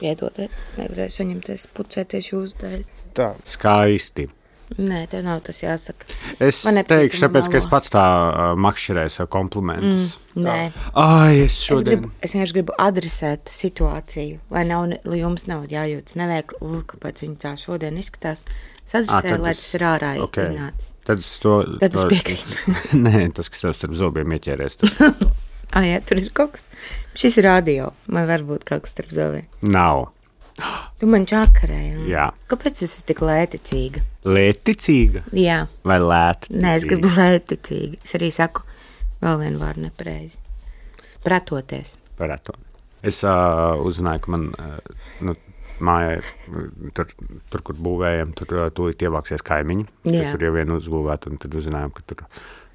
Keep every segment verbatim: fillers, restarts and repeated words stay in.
piedodiet, nevarēju saņemties pucēties jūsu dēļ. Tā. Skaisti. Nē, tev nav tas jāsaka. Es teikšu, tāpēc, ka es pats tā uh, makšķerēju savu komplimentus. Mm, nē. Ai, es šodien... Es, gribu, es vienkārši gribu adresēt situāciju, lai, nav, lai jums nav jājūtas neveikli, uh, kāpēc viņi tā šodien izskatās. Es adresēju, lai tas ir ārā okay. iznācis. Tad es to... Tad to... es piekrītu. Nē, tas, kas tev starp zobiem ieķēries. ah, jā, tur ir kaut kas. Šis ir radio. Man var būt kaut kas starp zobiem. Nav. Tu man čakarēji. Jā. Kāpēc es esmu tik lēticīga? Lēticīga? Jā. Vai lēticīga? Nē, es gribu lēticīga. Es arī saku vēl vienu vārdu nepareizi. Pratoties. Pratot. Es uh, uzzināju, ka man uh, nu, mājā, tur, tur, kur būvējam, tur uh, tūlīt ievāksies kaimiņi. Jā. Kas tur jau vien uzbūvēt, un tad uzzinājām, ka tur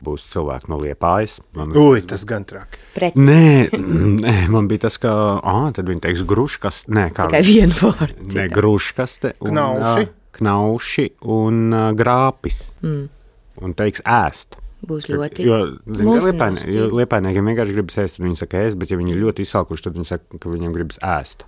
būs cilvēki no Liepājas. Man, Ui, tas gan traki. Pret. Nē, nē, man bija tas, ka, ah, tad viņi teiks gruškas, nē, kā. Tikai vienu vārdu. Nē, gruškaste. Un, knauši. Uh, knauši un uh, grāpis. Mm. Un teiks ēst. Būs ļoti. Jo, zin, liepaini, jo liepainiekiem vienkārši gribas ēst, un viņi saka ēst, bet ja viņi ļoti izsalkuši, tad viņi saka, ka viņiem gribas ēst.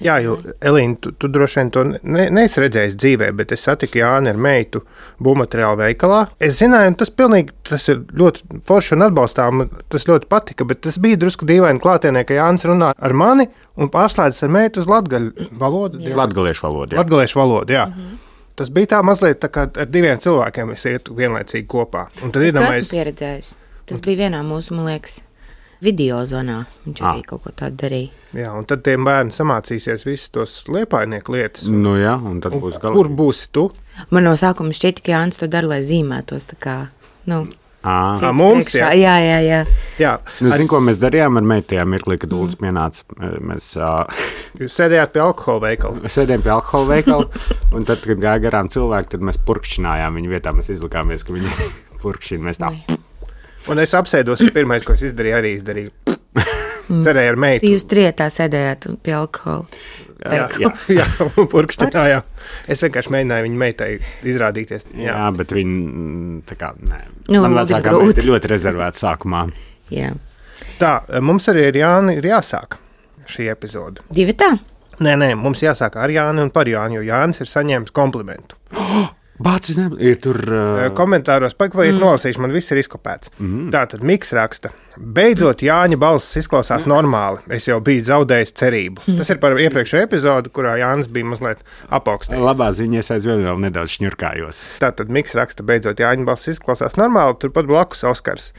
Jā, jo, Elīna, tu, tu droši vien to ne, neesi redzējis dzīvē, bet es satiku Jāni ar meitu būvmateriālu veikalā. Es zināju, un tas pilnīgi, tas ir ļoti forši un atbalstām, tas ļoti patika, bet tas bija drusku dīvaini klātienē, ka Jānis runā ar mani un pārslēdzas ar meitu uz latgaļu valodu. Latgaliešu valodu, jā. Latgaliešu valodu, jā. Mm-hmm. Tas bija tā mazliet tā kā ar diviem cilvēkiem es ietu vienlaicīgi kopā. Un tad es iedomājies... esmu pieredzējis. Tas bija vienā mūsu, man liekas, video zonā. Viņš arī ah. kaut ko tādu darīja. Jā, un tad tiem bērni samācīsies visus tos liepainieku lietas. Nu jā, un tad būs galīgi. Kur būsi tu? Man no sākuma šķiet, ka Jānis to dara, lai zīmētos tā kā, nu... À, mums, jā. jā, jā, jā. jā. Nu, Ar... zinu, ko mēs darījām ar meitajā mirklī, kad Uldis pienāca. Mēs uh... Jūs sēdējāt pie alkohola veikala. Sēdējām pie alkohola veikala, un tad, kad gāja garām cilvēki, tad mēs purkšķinājām viņu vietā. Mēs izlikāmies, ka viņi purkšķina. Mēs tā. Un es apsēdos, un pirmais, ko es izdarīju, arī izdarīju. Cerēju ar meitu. Jūs trietā sēdējāt pie alkohola. Jā, jā. jā, purkšķinājām. Es vienkārši mēģināju viņu meitai izrādīties. Jā, jā bet viņi tā kā, nē. Nu, man vecākā meita ir ļoti rezervēta sākumā. Jā. Tā, mums arī ir Jāni ir jāsāk šī epizode. Divi tā? Nē, nē, mums jāsāk ar Jāni un par Jāni, jo Jānis ir saņēmis komplimentu. Bācis ne, ir tur... Uh... Komentāros, pak, vai es mm. nolasīšu, man viss ir izkopēts. Mm. Tātad Miks raksta, beidzot Jāņa balss izklausās normāli, es jau biju zaudējis cerību. Mm. Tas ir par iepriekšējo epizodu, kurā Jānis bija mazliet apaugstījis. Labā ziņa, es aizvien vēl nedaudz šņurkājos. Tātad Miks raksta, beidzot Jāņa balss izklausās normāli, turpat blakus Oskars.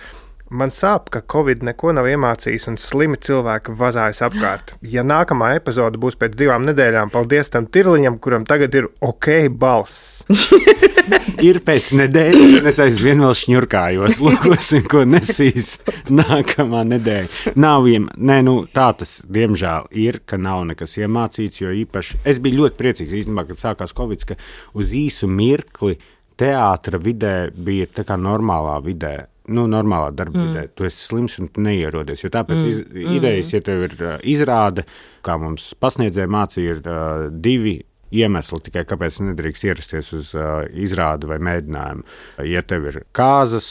Man sāp, ka Covid neko nav iemācījis un slimi cilvēki vazājas apkārt. Ja nākamā epizode būs pēc divām nedēļām, paldies tam tirliņam, kuram tagad ir ok balss. Ir pēc nedēļas, un es aizvien vēl šņurkājos. Lūkosim, ko nesīs nākamā nedēļa. Nav iem... Nē, nu, tā tas, diemžēl, ir, ka nav nekas iemācīts, jo īpaši... Es biju ļoti priecīgs, īstenībā, kad sākās Covid, ka uz īsu mirkli teātra vidē bija tā kā normālā vidē. Nu, normālā darba mm. vidē, tu esi slims un tu neierodies, jo tāpēc mm. iz, idejas, ja tev ir uh, izrāde, kā mums pasniedzēja mācīja, ir uh, divi iemesli tikai, kāpēc nedrīkst ierasties uz uh, izrādi vai mēģinājumu. Ja tev ir kāzas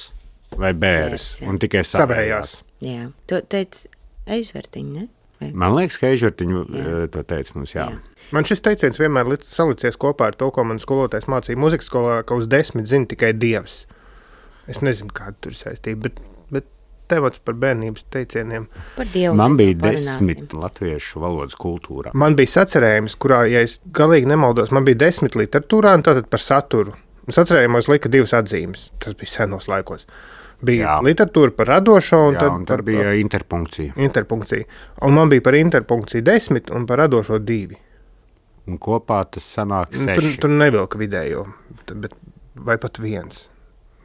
vai bēres, yes, un tikai savējās. Jā, to teica Eižvertiņa, ne? Vai? Man liekas, ka Eižvertiņa uh, to teica mums, jā. jā. Man šis teiciens vienmēr salicies kopā ar to, ko man skolotājs mācīja muzikas skolā, ka uz desmit zina tikai Dievs. Es nezinu, kāda tur ir saistība, bet, bet temats par bērnības teicieniem. Par Dievu man bija desmit latviešu valodas kultūrā. Man bija sacerējums, kurā, ja es galīgi nemaldos, man bija desmit literatūrā un tātad par saturu. Sacerējumos lika divas atzīmes. Tas bija senos laikos. Bija jā. Literatūra par radošo un jā, tad, un tad par, bija interpunkcija. Interpunkcija. Un man bija par interpunkciju desmit un par radošo divi. Un kopā tas sanāk seši. Tur, tur nevilka vidējo, bet, vai pat viens.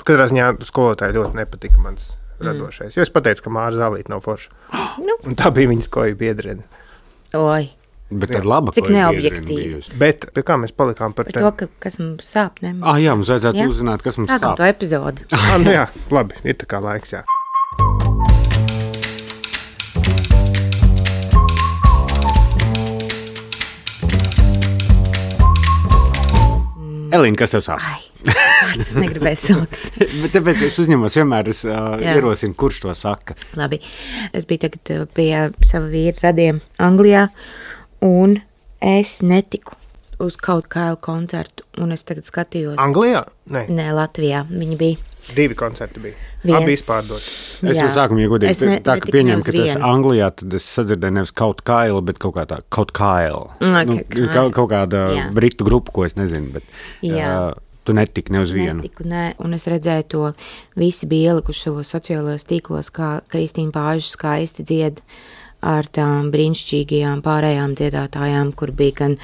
Katrā ziņā skolotāji ļoti nepatika mans mm. radošais. Jo es pateicu, ka Māra Zālīte nav forša. Nu. Un tā bija viņas koja biedrene. Oi. Bet tad laba cik neobjektīvi. Bet pie kā mēs palikām par, par to, ka, kas mums sāp, ne? Ah, jā, mums vajadzētu jā? uzzināt, kas mums Sākam sāp. Sākam to epizodi. ah, nu jā, labi, ir tā kā laiks, jā. Elīna, kas tev sāp? Ai. Es negribēju sākt. Bet tāpēc es uzņemos vienmēr, es uh, ierosinu, kurš to saka. Labi. Es biju tagad pie sava vīra radiem Anglijā, un Es netiku uz kaut kādu koncertu, un es tagad skatījos. Anglijā? Nē, Nē Latvijā. Viņi bija. Divi koncerti bija. Viens. Abi izpārdot. Es jau sākumā iegodīju, Es ne- tā, ka netiku pieņem, ne uz ka tas vienu. Anglijā, tad es sadzirdēju nevis kaut kaila, bet kaut kā tā, kaut kaila. Okay, nu, kaila. kaut, kaut kāda Jā. britu grupa, ko es nezinu, bet Jā. uh, tu netiki ne uz vienu. Netiku, nē, un es redzēju to, visi bija ielikuši savos sociālajos tīklos, kā Kristīna Pāža skaisti dzied ar tām brīnišķīgajām pārējām dziedātājām, kur bija gan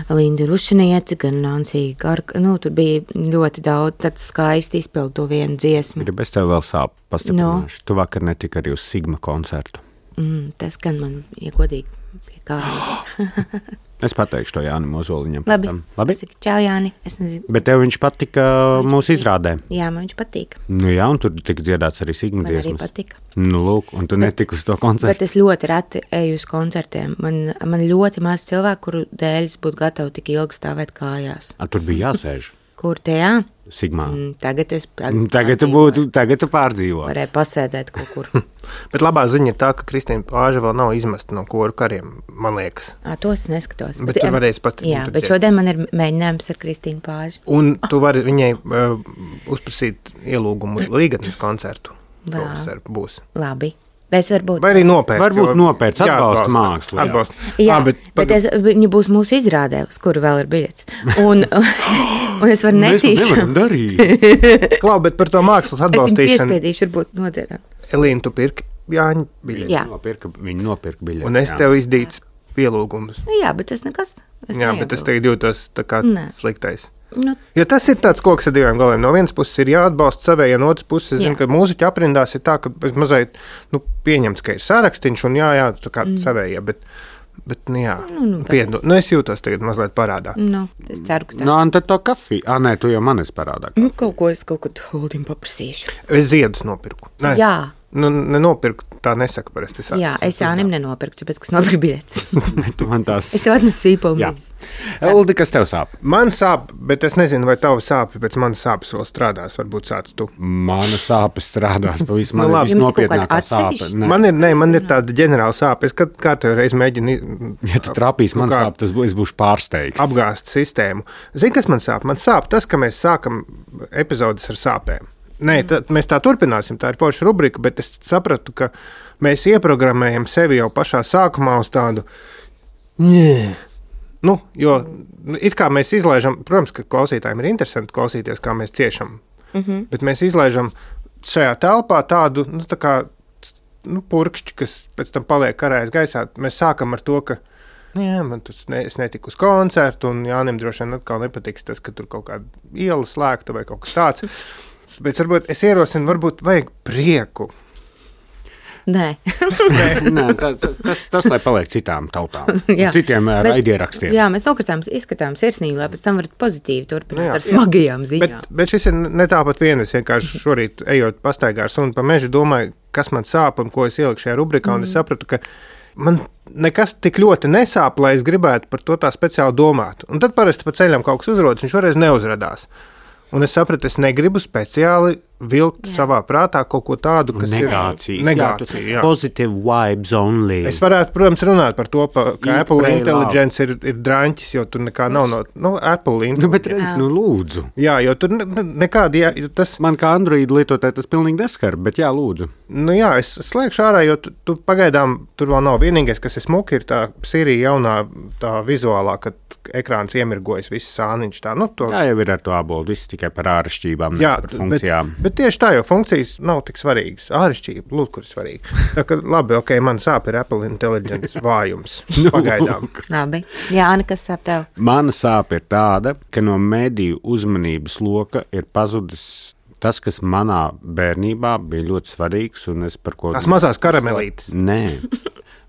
Linda Rušaniece, gan Nansija Garka, nu, tur bija ļoti daudz, tad skaisti izpild to vienu dziesmu. Ir bez tev vēl sāp pastiprināšu. No. Tu vakar netiki arī uz Sigma koncertu. Mm, tas gan man iegodīgi pie kājas. Es pateikšu to Jānim Ozoliņam. Labi, Labi? Pasaki, čau Jāni, es nezinu. Bet tev viņš patika mūsu izrādē. Jā, man viņš patīk. Nu jā, un tur tika dziedāts arī Sigma Man arī dziesmas. patika. Nu lūk, un tu Bet- netiki uz to koncertu. Bet es ļoti reti eju uz koncertiem. Man, man ļoti maz cilvēku, kuru dēļ es būtu gatava tik ilgi stāvēt kājās. A, tur bija jāsēž Kur tajā? Sigmā. Mm, tagad es Tagad tu būtu, tagad tu pārdzīvo. Varēju pasēdēt kaut kur. Bet labā ziņa ir tā, ka Kristīna Pāža vēl nav izmesta no koru kariem, man liekas. À, to es neskatos. Bet tu em, varēsi pastiprināti Jā, tur bet dzied. šodien man ir mēģinājums ar Kristīnu Pāžu. Un tu vari viņai uh, uzprasīt ielūgumu līgatnes koncertu. Jā. Šovasar būs. Labi. Es varbūt. Vai arī nopērts. Varbūt jo- nopērts, Jā, atbalsta mākslu. Atbalsta. Jā, Ā, bet, bet es, viņi būs mūsu izrādē, uz kuru vēl ir biļets. Un, un es varu Mēs to netīšām. nevaram darīt. Klau, bet par to mākslas Es viņu atbalstīšanu. piespiedīšu, varbūt nodziedāt. Elīna, tu pirki Jāņa biļeti. Jā. Nopirka, viņi nopirka biļeti. Un es jā. tev izdīcu pielūgumus. Jā, bet tas nekas. Es Jā, bet es neiebilstu. tagad jūtos tā kā Nē. sliktais. Nu, Jo tas ir tāds koks ar diviem galiem. No vienas puses ir jāatbalsta savēja, no otras puses, es zinu, Jā. ka mūziķu aprindās ir tā, ka mazliet nu, pieņemts, ka ir sārakstīns un jā, jā, tā kā mm. savējā, bet, bet nu, jā, Nu, nu, piedod. Nu, es jūtos tagad mazliet parādā. nu, es ceru, ka tā. Nu, un tad to kafiju. Ā, nē, tu jau man esi parādā. Nu, kaut ko es kaut kad Holdim paprasīšu. Es ziedus nopirku. Nē, Jā, nu, nenopirku, tā nesaka parasti. jā, es Jānim nenopirku, tāpēc, kas nopirku biļetes. Tu man tās... Es tev atnesu sīpolu Jā. mizas. Uldi, kas tev sāp? Man sāp, bet es nezinu, vai tavs sāpes pēc manas sāpes vēl strādās. Varbūt sāc tu. Mana sāpes strādās pavisam Nu, labi. labi. Jums ir kaut kāda Nopietnākā sāpe. atsevišķa? Nē. Man ir, ne, man ir tāda ģenerāla sāpe. Es kad kārtējo reizi mēģinu Ja tu trāpīs man kaut kā sāp, tas būs, es būšu pārsteigts. apgāzt sistēmu. Zini, kas man sāp? Man sāp tas, ka mēs sākam epizodes ar sāpēm. Nē, tā, mēs tā turpināsim. Tā ir forša rubrika, bet es sapratu, ka mēs ieprogrammējam sevi jau pašā sākumā uz tādu. Nē. Nu, jo nu, it kā mēs izlaižam, protams, ka klausītājiem ir interesanti klausīties, kā mēs ciešam. Mm -hmm. Bet mēs izlaižam šajā telpā tādu nu, tā kā, nu, purkšķi, kas pēc tam paliek karājas gaisā. Mēs sākam ar to, ka nu, jā, man tas ne, es netiku uz koncertu, un Jānim droši vien atkal nepatiks tas, ka tur kaut kāda iela slēgta vai kaut kas tāds. Bet varbūt es ierosinu, varbūt vajag prieku. Nē, Nē, tā, tā, tas, tas, lai paliek citām tautām, Jā. citiem Mēs- raidierakstiem. jā, mēs nokritām, izskatām sirsnīgi, lai pēc tam varat pozitīvi turpināt Nu jā. ar smagajām ziņām. Bet, bet šis ir ne tāpat vien. Es vienkārši šorīt ejot pastaigā ar sunu pa mežu, domāju, kas man sāp un ko es ieliku šajā rubrikā. Un es sapratu, ka man nekas tik ļoti nesāp, lai es gribētu par to tā speciāli domāt. Un tad parasti pa ceļam kaut kas uzrodas, un šoreiz neuzradās. Un es sapratu, es negribu speciāli vilkt jā. savā prātā kaut ko tādu, kas Negācijas. ir negācija. Jā. Positive vibes only. Es varētu, protams, runāt par to, pa, ka Eat, Apple pray, Intelligence ir, ir draņķis, jo tur nekā nav no nu, Apple Nu, Intelligence. bet redz, nu lūdzu. Jā, jo tur ne, ne, nekādi, jā, jo tas, Man kā Android lietotāji tas pilnīgi neskar, bet jā, lūdzu. nu jā, es slēgšu ārā, jo tu, tu pagaidām tur vēl nav vienīgais, kas ir smuki, ir tā Siri jaunā tā vizuālā, kad ekrāns iemirgojas, viss sāniņš tā, nu to. Tā jau ir ar to abolu, viss tikai par āršķībām, Jā, ne par bet, funkcijām. bet tieši tā, jo funkcijas nav tik svarīgas. Āršķirība, lūk, kur ir svarīga. Tā kā labi, ok, man sāp ir Apple Intelligence vājums. Pagaidām. Labi. Jā, nekas sāp tev. Mana sāpe ir tāda, ka no mediju uzmanības loka ir pazudis tas, kas manā bērnībā bija ļoti svarīgs, un es par ko... Tās mazās karamelītes. Nē,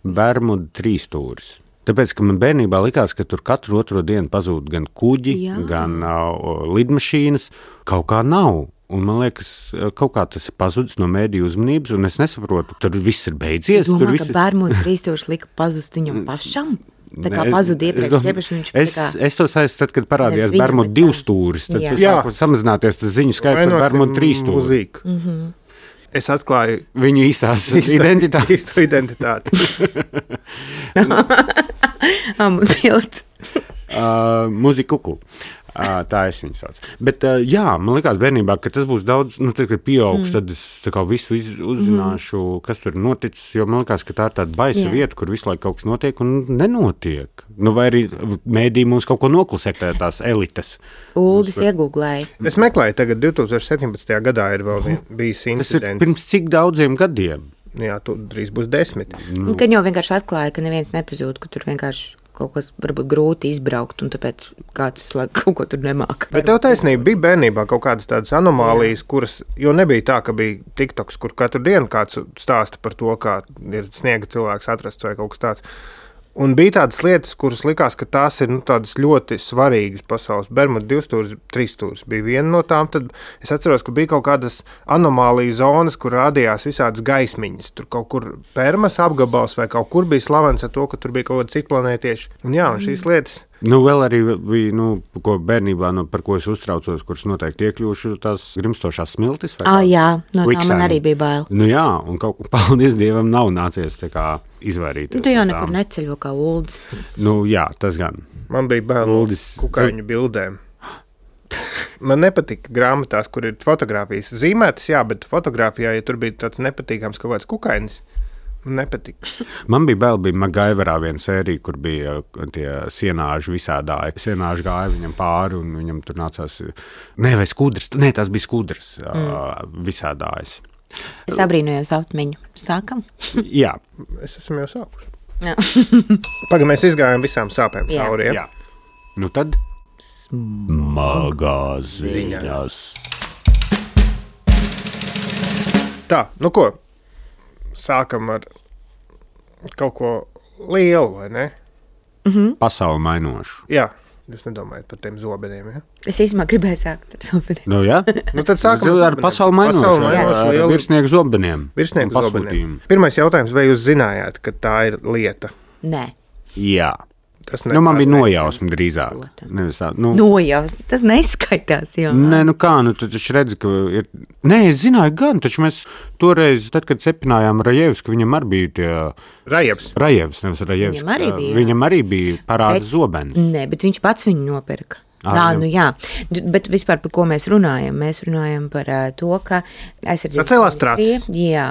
Bermuda trīsstūris. Tāpēc, ka man bērnībā likās, ka tur katru otro dienu pazūd gan kuģi, Jā. gan uh, lidmašīnas, kaut kā nav. Un man liekas, kaut kā tas ir pazudis no mēdīju uzmanības, un es nesaprotu, tur viss ir beidzies. Domā, tur ka viss ir... Bermuda trīsstūris lika pazust viņam pašam? Tā kā Nē, pazuda es iepriekš, domāju- iepriekš viņš es, tā kā... es to saistīju, tad, kad parādījās Nevis viņam, Bermuda bet divu tā. stūris, tad Jā. tas Jā. sāka samazināties tas ziņu skaits par Bermuda trīs stūri. Mūzīku. Mm -hmm. Es atklāju Viņu īstās identitātes. īstu identitāti. Amu pilts. uh, Mūzika kuklu. Uh, tā es viņu saucu. Bet, uh, jā, man likās bērnībā, ka tas būs daudz, nu, tad, kad pieaugšu, mm. tad es tā kā visu iz, uzzināšu, mm. kas tur noticis, jo man likās, ka tā ir tāda baisa yeah. vieta, kur visu laiku kaut kas notiek un nenotiek. Nu, vai arī mēdī mums kaut ko noklusē, tās elites. Uldis iegūglēja. Es meklēju, tagad divtūkstoš septiņpadsmitajā gadā ir vēl bijis incidents. Tas ir pirms cik daudziem gadiem? Jā, tu drīz būs desmit. Nu. Kad jau vienkārši atklāja, ka neviens nepazūd, ka tur vienkārši kaut kas varbūt grūti izbraukt, un tāpēc kāds kaut ko tur nemāk. Bet tev taisnība bija bērnībā kaut kādas tādas anomālijas, kuras, jo nebija tā, ka bija TikToks, kur katru dienu kāds stāsta par to, kā ir sniega cilvēks atrasts vai kaut kas tāds. Un bija tādas lietas, kuras likās, ka tās ir nu, tādas ļoti svarīgas pasaules. Bermuda divstūris, trīsstūris bija viena no tām. Tad es atceros, ka bija kaut kādas anomāliju zonas, kur rādījās visādas gaismiņas. Tur kaut kur Permas apgabals vai kaut kur bija slavens ar to, ka tur bija kaut kāda citplanētieši. Un jā, un šīs lietas... Nu, vēl arī bija, nu, ko bērnībā, nu, par ko es uztraucos, kuras noteikti iekļūšu tās grimstošās smiltis. Ah, jā, no tā man arī bija bail. Nu jā, un kaut ko, paldies Dievam, nav nācies tā kā izvairīties. Nu, tu jau nekur neceļo kā Uldis. Nu jā, tas gan. Man bija bail Uldis kukaiņu bildēm. Man nepatika grāmatās, kur ir fotogrāfijas zīmētas, jā, bet fotogrāfijā, ja tur bija tāds nepatīkams kaut kāds kukainis, nepatika. Man bija bail, bija Magaiverā viena sērija, kur bija tie sienāži visādāji. Sienāži gāja viņam pāri, un viņam tur nācās, ne, vai skudras, ne, tās bija skudras mm. visādājas. Es abrīnojos aptmiņu. Sākam? Jā. Es esmu jau sākuši. Pagaid, mēs izgājām visām sāpēm cauri, ja? Jā. Nu tad? Smagās ziņas. Tā, nu ko? Sākam ar kaut ko lielu, vai ne? Mm-hmm. Pasauli mainošu. Jā, jūs nedomājat par tiem zobeniem, ja? Es īstenībā gribēju sākt ar zobeniem. Nu, jā? Nu, tad sākam ar pasauli mainošu. Pasauli mainošu ar virsnieku zobeniem. Virsnieku zobeniem. Pirmais jautājums, vai jūs zinājāt, ka tā ir lieta? Nē. Jā. Nu, man bija nojausma drīzāk. Tā, nu. Nojausma, tas neskaitās jau. Nē, nu kā, nu tu taču redzi, ka ir... Nē, es zināju gan, taču mēs toreiz, tad, kad cepinājām Rajevs, ka viņam arī bija tie... Rajevs. Rajevs, nevis Rajevs. Viņam arī bija. Viņam arī bija parāda bet, zobens. Nē, bet viņš pats viņu nopirka. Jā, nu jā, bet vispār par ko mēs runājam? Mēs runājam par uh, to, ka aizsardzības ministrija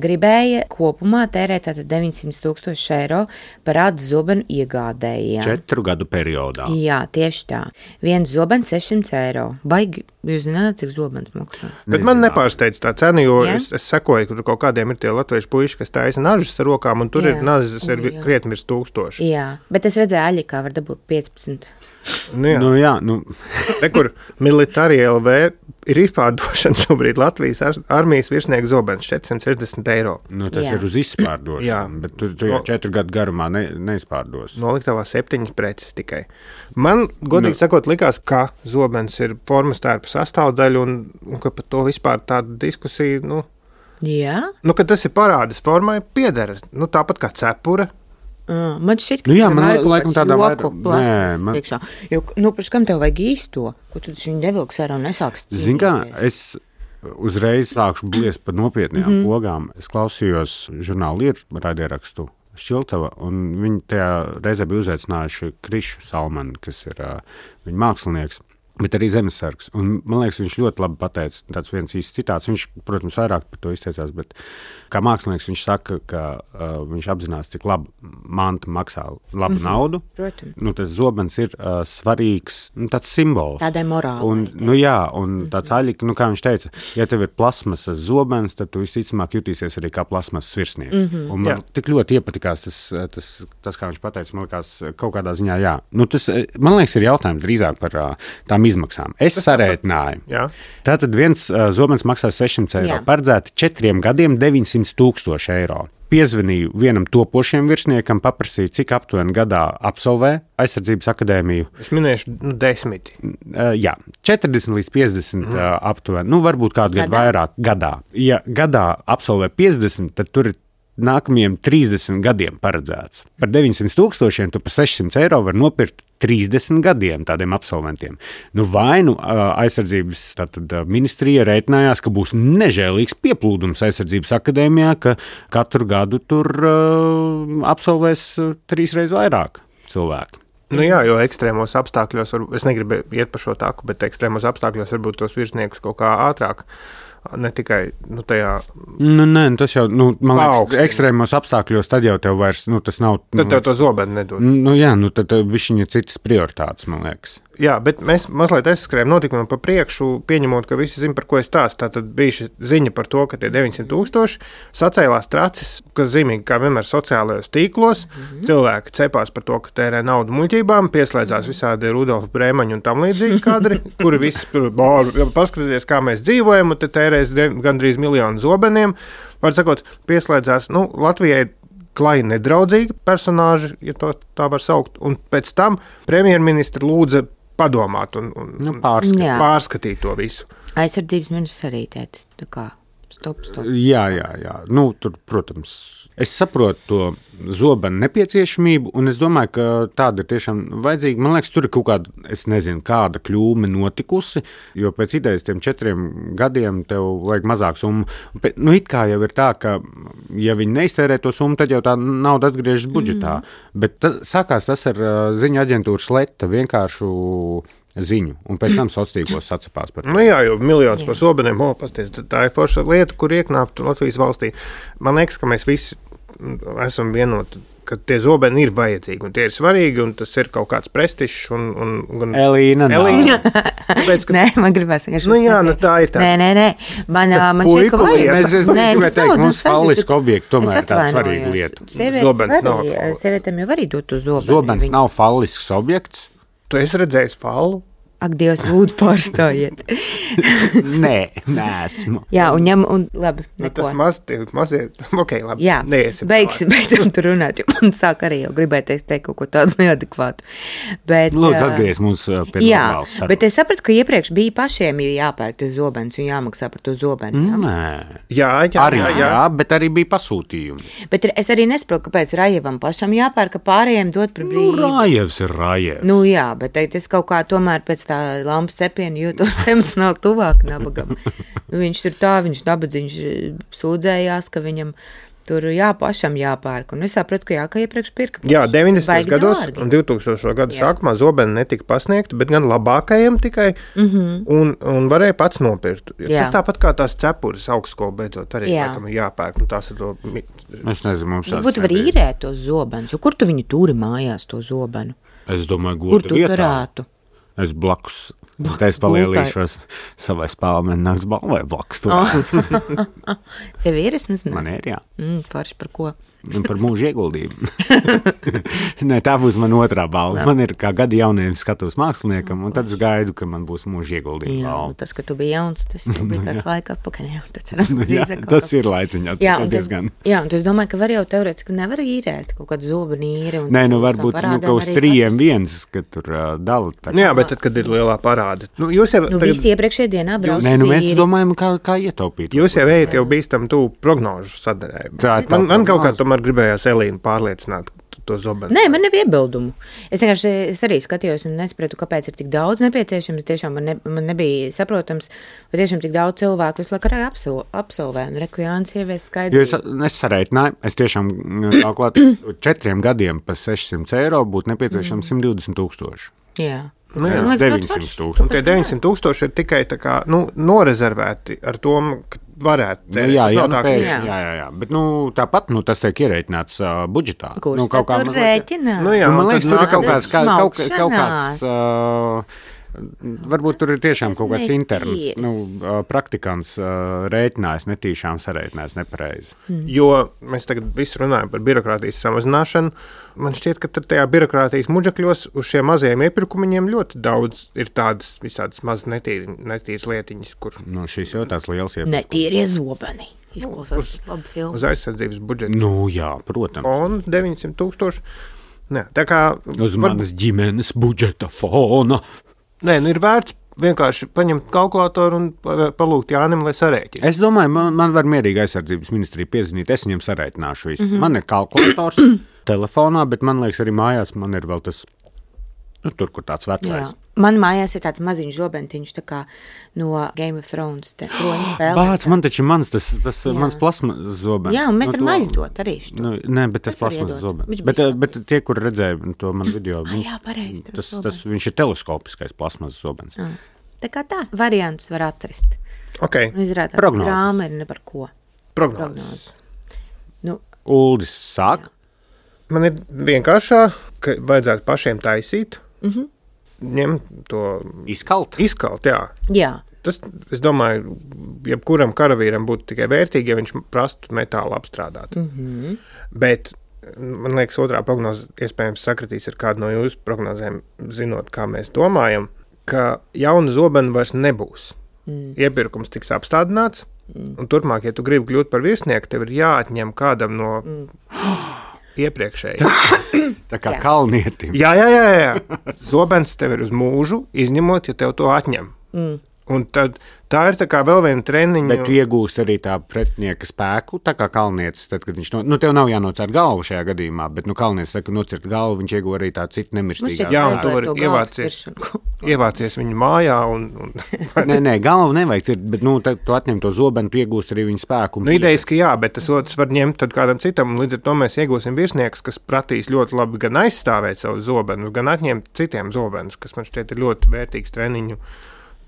gribēja kopumā tērēt tātad deviņsimt tūkstoši eiro par ādas zobenu iegādējiem. Četru gadu periodā. Jā, tieši tā. Viens zobens sešsimt eiro. Baigi, jūs zināt, cik zobens maksā? Bet Nezināt. Man nepārsteidz tā cena, jo ja? es, es sekoju, ka tur kaut kādiem ir tie latviešu puiši, kas taisa nažas ar rokām, un tur jā. ir nazas ir jā. krietni virs tūkstoši. Jā, bet es redzēju Aļikā var dabūt piecpadsmit. Nu jā, nu jā nu. Te, kur Militārija L V ir izpārdošana šobrīd Latvijas ar, armijas virsnieku zobens četrsimt sešdesmit eiro. Nu, tas jā. ir uz izpārdošanu, jā. bet tu, tu jau no, četru gadu garumā ne, neizpārdos. Noliktavā septiņas preces tikai. Man, godīgi nu. sakot, likās, ka zobens ir formas tērpa sastāvdaļa un, un ka par to vispār tāda diskusija, nu, jā. nu ka tas ir parādas formai piedara, nu tāpat kā cepura. Uh, man šķiet, ka nu jā, man laikam tādā joku plasmas man... iekšā. Jo, nu, paši, kam tev vajag īsto, ko tu viņu nevilks ar un nesāks cīnīties? Zin kā, es uzreiz sākšu bliest par nopietnējām mm-hmm. pogām. Es klausījos žurnālu ir raidierakstu Šiltava, un viņi tajā reizē bija uzaicinājuši Krišu Salmanu, kas ir uh, viņa mākslinieks. Bet arī zemesargs. Un, man liekas, viņš ļoti labi pateica, tāds viens īsts citāts. Viņš, protams, vairāk par to izteicās, bet kā mākslinieks viņš saka, ka uh, viņš apzinās, cik labi manta maksā labu mm-hmm. naudu. Protams. Nu, tas zobens ir uh, svarīgs, nu, tāds simbols. Tādai morālai. Un, nu jā, un tāds mm-hmm. aļika, nu kā viņš teica, ja tev ir plasmasas zobens, tad tu visticamāk jutīsies arī kā plasmasas virsnieks. Mm-hmm. Un man jā. tik ļoti iepatikās tas, tas, tas, kā viņš pateica, man likās kaut kādā ziņā, jā. Nu, tas, man liekas, ir jautājums drīzāk par uh, tām izmaksām. Es sarēķināju. Tātad viens uh, zobens maksā sešsimt eiro. Paredzēti četriem gadiem deviņsimt tūkstoši eiro. Piezvanīju vienam topošiem virsniekam, paprasīju, cik aptuveni gadā absolvē aizsardzības akadēmiju. Es minēšu nu, desmit. Uh, jā, četrdesmit līdz piecdesmit mm. uh, aptuveni. Nu, varbūt kādu gadu vairāk gadā. Ja gadā absolvē piecdesmit, tad tur ir nākamajiem trīsdesmit gadiem paredzēts. Par deviņsimt tūkstošiem tu par sešsimt eiro var nopirkt trīsdesmit gadiem tādiem absolventiem. Nu, vai nu aizsardzības tātad, ministrija rēķinājās, ka būs nežēlīgs pieplūdums aizsardzības akadēmijā, ka katru gadu tur uh, absolvēs uh, trīsreiz vairāk cilvēku. Nu jā, jo ekstrēmos apstākļos, var, es negribu iet pa šo taku, bet ekstrēmos apstākļos varbūt tos virsniekus kaut kā ātrāk. Ne tikai nu, tajā. Nu, nē, tas jau, nu, man liekas, ekstrēmos apstākļos tad jau tev vairs, nu, tas nav. Tad tev to zobenu nedod. Nu, jā, nu, tad višķiņa citas prioritātes, man liekas. Jā, bet mēs mazliet aizskrējam notikumiem pa priekšu, pieņemot, ka visi zina, par ko es stāstu. Tātad bija šī ziņa par to, ka tie deviņsimt tūkstoši sacēlās tracis, kas zīmīgi, kā vienmēr sociālajos tīklos. Mm-hmm. Cilvēki cepās par to, ka tērē naudu muļķībām, pieslēdzās visādi Rudolfa Brēmaņa un tam līdzīgi kadri, kuri visi paskatieties, kā mēs dzīvojam, un te tērēs gandrīz miljonu zobeniem. Var sakot, pieslēdzās, nu, Latvijai klāji nedraudzīgi personāži, ja to tā var saukt, un pēc tam premjerministra lūdza padomāt un, un, nu, pārskatīt. pārskatīt to visu. Aizsardzības ministrs arī teica, tā kā stop, stop. Jā, jā, jā. Nu, tur, protams, es saprotu to zobenu nepieciešamību, un es domāju, ka tāda ir tiešām vajadzīga. Man liekas, tur ir kaut kāda, es nezinu, kāda kļūme notikusi, jo pēc idejas tiem četriem gadiem tev vajag mazāk summu. Nu, it kā jau ir tā, ka, ja viņi neiztērē to summu, tad jau tā nauda atgriežas budžetā. Mm-hmm. Bet ta, sākās tas ar uh, ziņu aģentūras Leta vienkāršu ziņu, un pēc tam sociālos sacapās par to. Nu jā, jo miljons par zobeniem, o, pasties, tā ir forša lieta, kur ieknāpt Latvijas valstī. Man liekas, ka mēs visi esam vienoti, ka tie zobeni ir vajadzīgi, un tie ir svarīgi, un tas ir kaut kāds prestižs, un... un, un Elīna, Elīna. Tāpēc, ka... Nē, man gribās vienkārši... Nu jā, nu tā ir tā. Nē, nē, nē, man, man šeit, ka vajag... Mēs, es gribēju teikt, mums falliska objekta tomēr ir tāda svarīga lieta. Sievietēm jau arī dot uz zobeni. Zobens nav fallisks objekts. Tu esi redzējis fallu? Ak, Dievs, lūdzu, pārstājiet. Nē, neesmu. Jā, un ņem, un labi, neko. Nu, tas maz, tie mazie, ok, labi. Jā, neiesim beigsim, beidzam tur runāt, jo man sāk arī jau gribēties teikt kaut ko tādu neadekvātu. Bet, lūdzu, atgriez mums pie jā, normāls sarunas. Bet es sapratu, ka iepriekš bija pašiem jāpērk tas zobens un jāmaksā par to zobenu. Nē. Jā, jā, arī, jā, jā. jā, bet arī bija pasūtījumi. Bet es arī nesaprotu, kāpēc Rajevam pašam jāpērk, ka pārējiem dot par brīvu. Nu, Rajevs ir Rajevs. Nu jā, bet es kaut kā tomēr pēc tā lampas cepienu jūtos emocionāli tuvāk nabagam. Viņš tur tā, viņš nabadzīgs sūdzējās, ka viņam tur jā, pašam jāpērk. Un es sapratu, ka jā, ka iepriekš pirka. Jā, deviņdesmitajos gados un divtūkstošo gadu jā. Sākumā zobeni netika pasniegti, bet gan labākajiem tikai, mm-hmm. un, un varēja pats nopirkt. Jā. Tas tāpat kā tās cepures augstskola beidzot arī, jā. Laikam, jāpērk. Un tās ir to... Es nezinu, mums tāds nebija. Būtu var īrēt tos zobenus, jo kur tu viņu turi mājās, to zobenu? Es domāju, goda vietā. Kur tu vietā. Turētu? Es blakus, es palielīšos savai spēlēm nakts balvai blakus turēt. Tev ir, es nezinu. Man ir, jā. Mm, forši par ko? Par mūža ieguldījumu. Nē, tā būs man otrā balva. Man ir kā gadi jauniem skatos māksliniekam, un tad es gaidu, ka man būs mūža ieguldījuma jā, balva. Tas, ka tu biji jauns, tas jau bija kāds laika atpakaļ. Jā, tas, cerams, jā, tas ir laiciņā. Jā, un tas, jā, un es domāju, ka var jau teorētiski nevar īrēt kaut kādu zobenu īri. Nē, nu varbūt nu, ka uz trījiem viens, kad tur uh, dala. Tā. Jā, bet tad, kad ir lielā parāda. Nu, jūs jau... Nu, tagad... visi iepriekšējā dienā brauc. Nē, nu mēs domājam, kā, kā ietaupīt. Jūs jau ejat jau bīstam tu prognožu sadarēju. Man, man kaut kā tomēr gribējās Elīna pārliecināt to zobenu. Nē, man nav iebildumu. Es vienkārši es arī skatījos un nesapratu, kāpēc ir tik daudz nepieciešams. Tiešām man, ne, man nebija saprotams, vai tiešām tik daudz cilvēku visu laiku arī absol, absolvē. Un reku Jānis ievies skaidrību. Jo es, es sareitināju, es tiešām kalkulēt četriem gadiem pa sešsimt eiro būtu nepieciešams mm. simt divdesmit tūkstoši. Jā. Nu, jā, liekas, deviņsimt tūkstoši. Un tie deviņsimt tūkstoši ir tikai tā kā, nu, norezervēti ar to, ka varētu. Nu, jā, jā, nu, pēš, jā. jā, jā, jā. Bet nu, tāpat nu, tas tiek ierēķināts uh, budžetā. Kurš nu, kaut kā tur rēķinās? Nu, jā, nu, man liekas, tur ir kaut kāds, kā, kaut, kaut kāds uh, varbūt tur ir tiešām kaut kāds interns, nu, praktikants rēķinājis, netīšām sarēķinājis nepareizi. Mm. Jo mēs tagad visi runājam par birokrātijas samazināšanu. Man šķiet, ka tajā birokrātijas muģakļos uz šiem mazajiem iepirkumiņiem ļoti daudz ir tādas visādas mazas netīri, netīras lietiņas, kur... Nu, šis jau tās liels iepirkumi. Netīrie zobeni. Izklausās nu, labi filmu. Uz aizsardzības budžeta. Nu, jā, protams. Un deviņsimt tūkstoši. Nē, tā kā... Uz manas var... ģimenes budžeta fona. Nē, nu ir vērts vienkārši paņemt kalkulātoru un palūgt Jānim, lai sarēķina. Es domāju, man, man var mierīgi aizsardzības ministrija piezvanīt, es viņam sarēķināšu visu. Mm-hmm. Man ir kalkulators telefonā, bet man liekas arī mājās man ir vēl tas, nu, tur, kur tāds vecais. Jā. Man mājās ir tāds maziņš zobentiņš, tā kā no Game of Thrones, te kroņa spēlē. Bāc, man taču mans, tas, tas mans plasmas zobens. Jā, un mēs nu, varam to- aizdot arī šo. Nu, nē, bet tas Es varu plasmas iedot. zobens. Viņš Bet, bija eh, bet tie, kur redzēja to man video, viņš, jā, pareizi, tas tas, zobens. tas, viņš ir teleskopiskais plasmas zobens. Jā. Tā kā tā, variantus var atrast. Ok, Un izrādās, Prognozes. grāma ir ne par ko. prognozes. Prognozes. Nu, Uldis sāk. Man ir vienkāršā, ka vajadzētu pašiem taisīt, Mhm. ņemt to Izkalt. izkalt, jā. jā, Tas, es domāju, jebkuram karavīram būtu tikai vērtīgi, ja viņš prastu metālu apstrādāt. Mhm. Bet, man liekas, otrā prognoze iespējams sakritīs ar kādu no jūsu prognozēm, zinot, kā mēs domājam, ka jauna zobena vairs nebūs. Mm. Iepirkums tiks apstādināts, un turpmāk, ja tu gribi kļūt par virsnieku, tev ir jāatņem kādam no Mm. iepriekšējiem. Tā kā Jā. kalnietim. Jā, jā, jā, jā. Zobens tev ir uz mūžu, izņemot, ja tev to atņem. Mm. Un tad tā ir tā kā vēl viena treniņa. Bet tu iegūst arī tā pretinieka spēku, tā kā kalnietis. Tad, kad viņš no, nu, tev nav jānocērt galvu šajā gadījumā, bet, nu, kalnietis, tad, kad nocērt galvu, viņš iegūst arī tā citu nemirstīgā. Jā, un tu vari ievācies. Ievācies viņu mājā. Un, un, Nē, nē, galvu nevajag cirt, bet, nu, tad tu atņem to zobenu, tu iegūst arī viņa spēku. un nu, idejiski jā, bet tas otrs var ņemt tad kādam citam, un līdz ar to mēs iegūsim virsniekus, kas prasīs ļoti labi gan aizstāvēt savu zobenu, gan atņemt citiem zobenus, kas man šķiet ir ļoti vērtīgs treniņu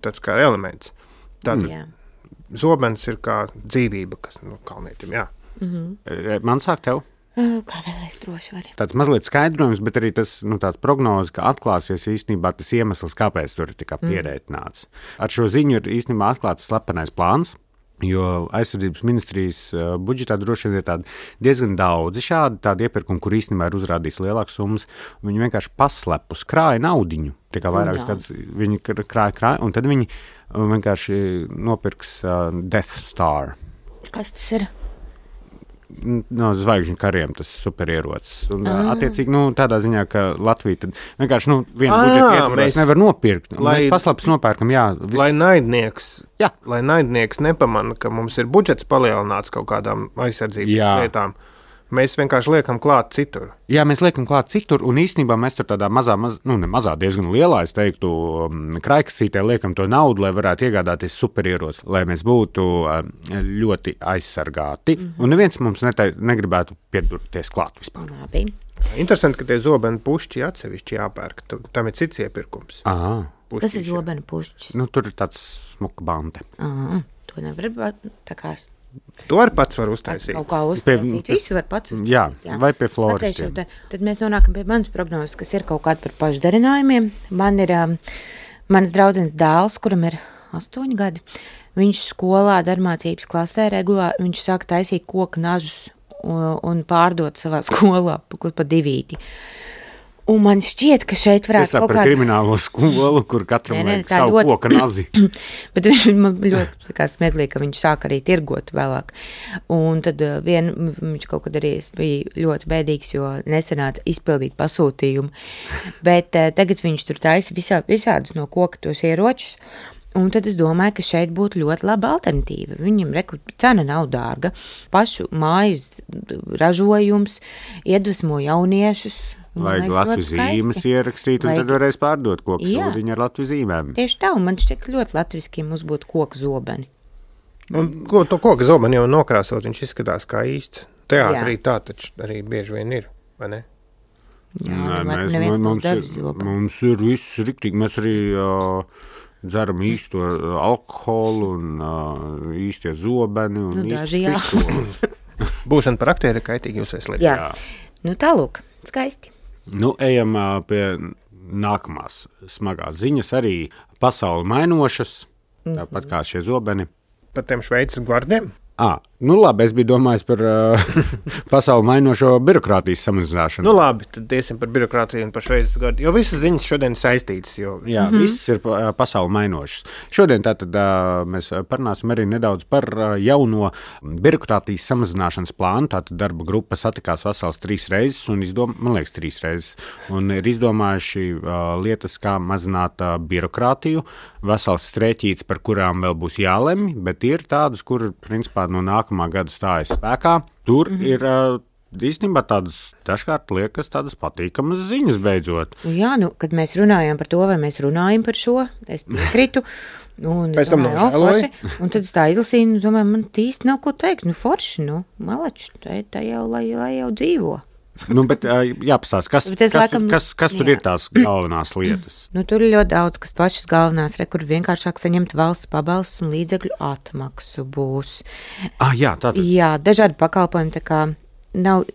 tāds kā elements. Tātad Jā. zobens ir kā dzīvība, kas nu, kalnietim, jā. E, Man sāk tev. Uh, Kā vēl es droši varu? Tāds mazliet skaidrojums, bet arī tas nu, prognozes, ka atklāsies īstenībā tas iemesls, kāpēc tur ir tā kā pierēķināts. Ar šo ziņu ir īstenībā atklāts slepenais plāns, jo aizsardzības ministrijas uh, budžetā droši vien ir tādi diezgan daudzi šādi tādi iepirkumi, kur īstenībā ir uzrādīts lielākas summas. Viņi vienkārši paslepus krāja naudiņu. Tā kā vairākas Jā. gadus viņi kr- krāja, krāja, un tad viņi uh, vienkārši nopirks uh, Death Star. Kas tas ir? No zvaigžņu kariem tas superierocis. Un, ah. Attiecīgi, nu, tādā ziņā, ka Latvija tad vienkārši nu, vienu Ah, budžetu ietvaros mēs- nevar nopirkt. Lai, lai- mēs paslēpus nopērkam, jā. Vis... Lai naidnieks, Jā. lai naidnieks nepamana, ka mums ir budžets palielināts kaut kādām aizsardzības Jā. lietām, mēs vienkārši liekam klāt citur. Jā, mēs liekam klāt citur, un īstenībā mēs tur tādā mazā, maz, nu, ne mazā, diezgan lielā, es teiktu, um, kraikasītē liekam to naudu, lai varētu iegādāties superieroci, lai mēs būtu um, ļoti aizsargāti. Mm -hmm. Un neviens mums netai, negribētu piedurties klāt vispār. Labi. Interesanti, ka tie zobeni pušķi atsevišķi jāpērk. Tu- Tam ir cits iepirkums. Aha. Kas ir Pušķīši. zobena pušķis? Nu, tur ir tāds smuka bante. Aha, to nevar būt tā kā To arī pats var uztaisīt. kaut kā uztaisīt. Visu var pats uztaisīt. Jā, vai pie Pateišu, floristiem. tad, tad mēs nonākam pie manas prognozes, kas ir kaut kāda par pašdarinājumiem. Man ir um, mans draudzenes dēls, kuram ir astoņi gadi. Viņš skolā darbmācības klasē regulāri, viņš sāk taisīt koku nažus un, un pārdot savā skolā pa divīti. Un man šķiet, ka šeit Es varētu tā kaut par kāda... kriminālo skolu, kur katram Nē, nē, vajag tā savu ļoti- koka nazi. Bet viņš man ļoti likās smieklīgi, ka viņš sāk arī tirgot vēlāk. Un tad uh, vien, viņš kaut kad arī bija ļoti bēdīgs, jo nesanāca izpildīt pasūtījumu. Bet uh, tagad viņš tur taisa visā, visādus no koka tos ieročus. Un tad es domāju, ka šeit būtu ļoti laba alternatīva. Viņam reku, cena nav dārga, pašu mājas ražojums, iedvesmo jauniešus. Man Vajag liekas, Latvijas ļoti skaisti. zīmes ierakstīt, un Vajag- tad varēs pārdot koku Jā. sūdiņu ar Latvijas zīmēm. Tieši tā, un man šķiet, ka ļoti latviski, ja mums būtu koku zobeni. Un ko, to koku zobenu jau nokrāsot, viņš izskatās kā īsts. Teātrī tā taču arī bieži vien ir, vai ne? Jā, Nē, nu, laikam mēs, neviens nav mums, devis ir, zobenu. mums ir viss riktīgi. Mēs arī uh, dzeram īsto uh, alkoholu un uh, īstie zobeni. Un Nu, īstas daži jā. pistoles. Būšana par aktieri kaitīgi jūs veselībai. Jā. Jā. Nu, tālūk, skaisti. Nu, ejam uh, pie nākamās smagās ziņas. Arī pasauli mainošas, tāpat kā šie zobeni. Par tiem Šveices gvardiem. À, nu labi, es biju domājis par uh, pasauli mainošo birokrātijas samazināšanu. Nu labi, tad iesim par birokrātiju un par Šveices gvardi. Jo visas ziņas šodien saistītas. Jo... Jā, mm -hmm. Viss ir pa- pasauli mainošs. Šodien tātad uh, mēs parunāsim arī nedaudz par uh, jauno birokrātijas samazināšanas plānu. Tātad darba grupa satikās vesels trīs reizes, un izdom, man liekas, trīs reizes, un ir izdomājuši uh, lietas, kā mazināt uh, birokrātiju. Vesels strēķīts, par kurām vēl būs jālemj, bet ir tādas, kur principā no nākamā gada stājas spēkā. Tur mm -hmm. ir uh, īstenībā tādas dažkārt liekas tādas patīkamas ziņas beidzot. Jā, nu, kad mēs runājām par to, vai mēs runājam par šo, es piekritu. Un, Pēc tam domāju, nožēloji. oh, forši. Un tad es tā izlasīju, un domāju, man īsti nav ko teikt. Nu, forši, nu, malači, tā, tā jau, lai, lai jau dzīvo. Nu, bet jāpastāst, kas, Bet es kas, laikam- kas, kas tur jā. ir tās galvenās lietas? Nu, tur ir ļoti daudz, kas pašas galvenās, re, kur vienkāršāk saņemt valsts pabalsts un līdzekļu atmaksu būs. Ah, jā, tātad. Jā, dažādi pakalpojumi, tā kā nav,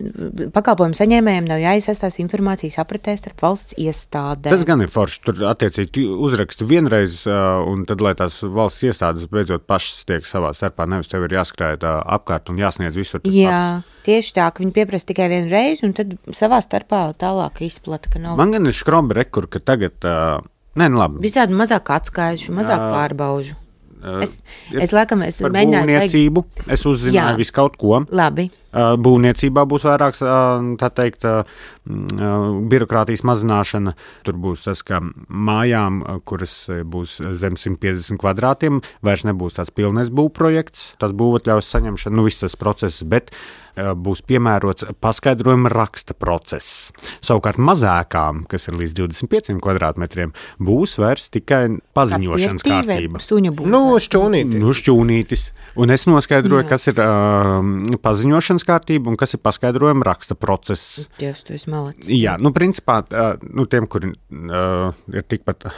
pakalpojumu saņēmējiem nav jāiesaistās informācijas apritē starp valsts iestādēm. Tas gan ir forši. Tur attiecīgi uzraksti vienreiz, uh, un tad, lai tās valsts iestādes beidzot pašas tiek savā starpā, nevis tev ir jāskrēt uh, apkārt un jāsniedz visur tas Jā, pats. tieši tā, ka viņi pieprasa tikai vienu reizi, un tad savā starpā tālāk izplata, ka nav Man gan ir škrombi rekur, ka tagad, uh, nē, nu labi. visādi mazāk atskaišu, mazāk Jā. pārbaužu. Uh, Es, es laikam, es par mēģināju teikt, būvniecību es uzzināju Jā. visu kaut ko. labi, Uh, Būvniecībā būs vairāk uh, tā teikt, uh, uh, birokrātijas mazināšana. Tur būs tas, ka mājām, uh, kuras uh, būs zem simt piecdesmit kvadrātiem, vairs nebūs tāds pilnais būvprojekts, tas būvatļaus saņemšana, nu viss tas process, bet uh, būs piemērots paskaidrojuma raksta process. Savukārt mazākām, kas ir līdz divdesmit pieciem kvadrātmetriem, būs vairs tikai paziņošanas Pirtī vai kārtība. Suņa būvē. Nu, šķūnīti. Nu, šķūnītis. Un es noskaidroju, Jā. kas ir uh, paziņošanas kārtība un kas ir paskaidrojuma raksta process. Dievs, tu esi malacis. Jā, nu, principā, uh, nu, tiem, kuri uh, ir tikpat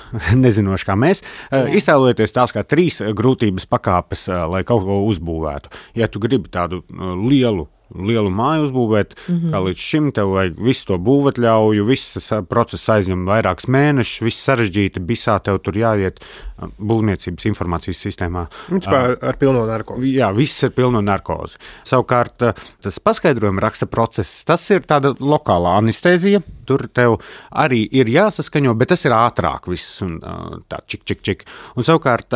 nezinoši kā mēs, uh, Jā. iztēlojoties tās kā trīs uh, grūtības pakāpes, uh, lai kaut ko uzbūvētu. Ja tu gribi tādu uh, lielu, lielu māju uzbūvēt, mm -hmm. kā līdz šim tev vajag visu to būvatļauju, viss tas uh, process aizņem vairākus mēnešus, viss sarežģīti, bisā tev tur jāiet uh, būvniecības informācijas sistēmā. Principā ar, ar pilno narkotiku. Jā, viss ir pilno narkozi. Savukārt, tas paskaidrojuma raksta process, tas ir tāda lokālā anestēzija. Tur tev arī ir jāsaskaņo, bet tas ir ātrāk viss un tā čik, čik, čik. Un savukārt,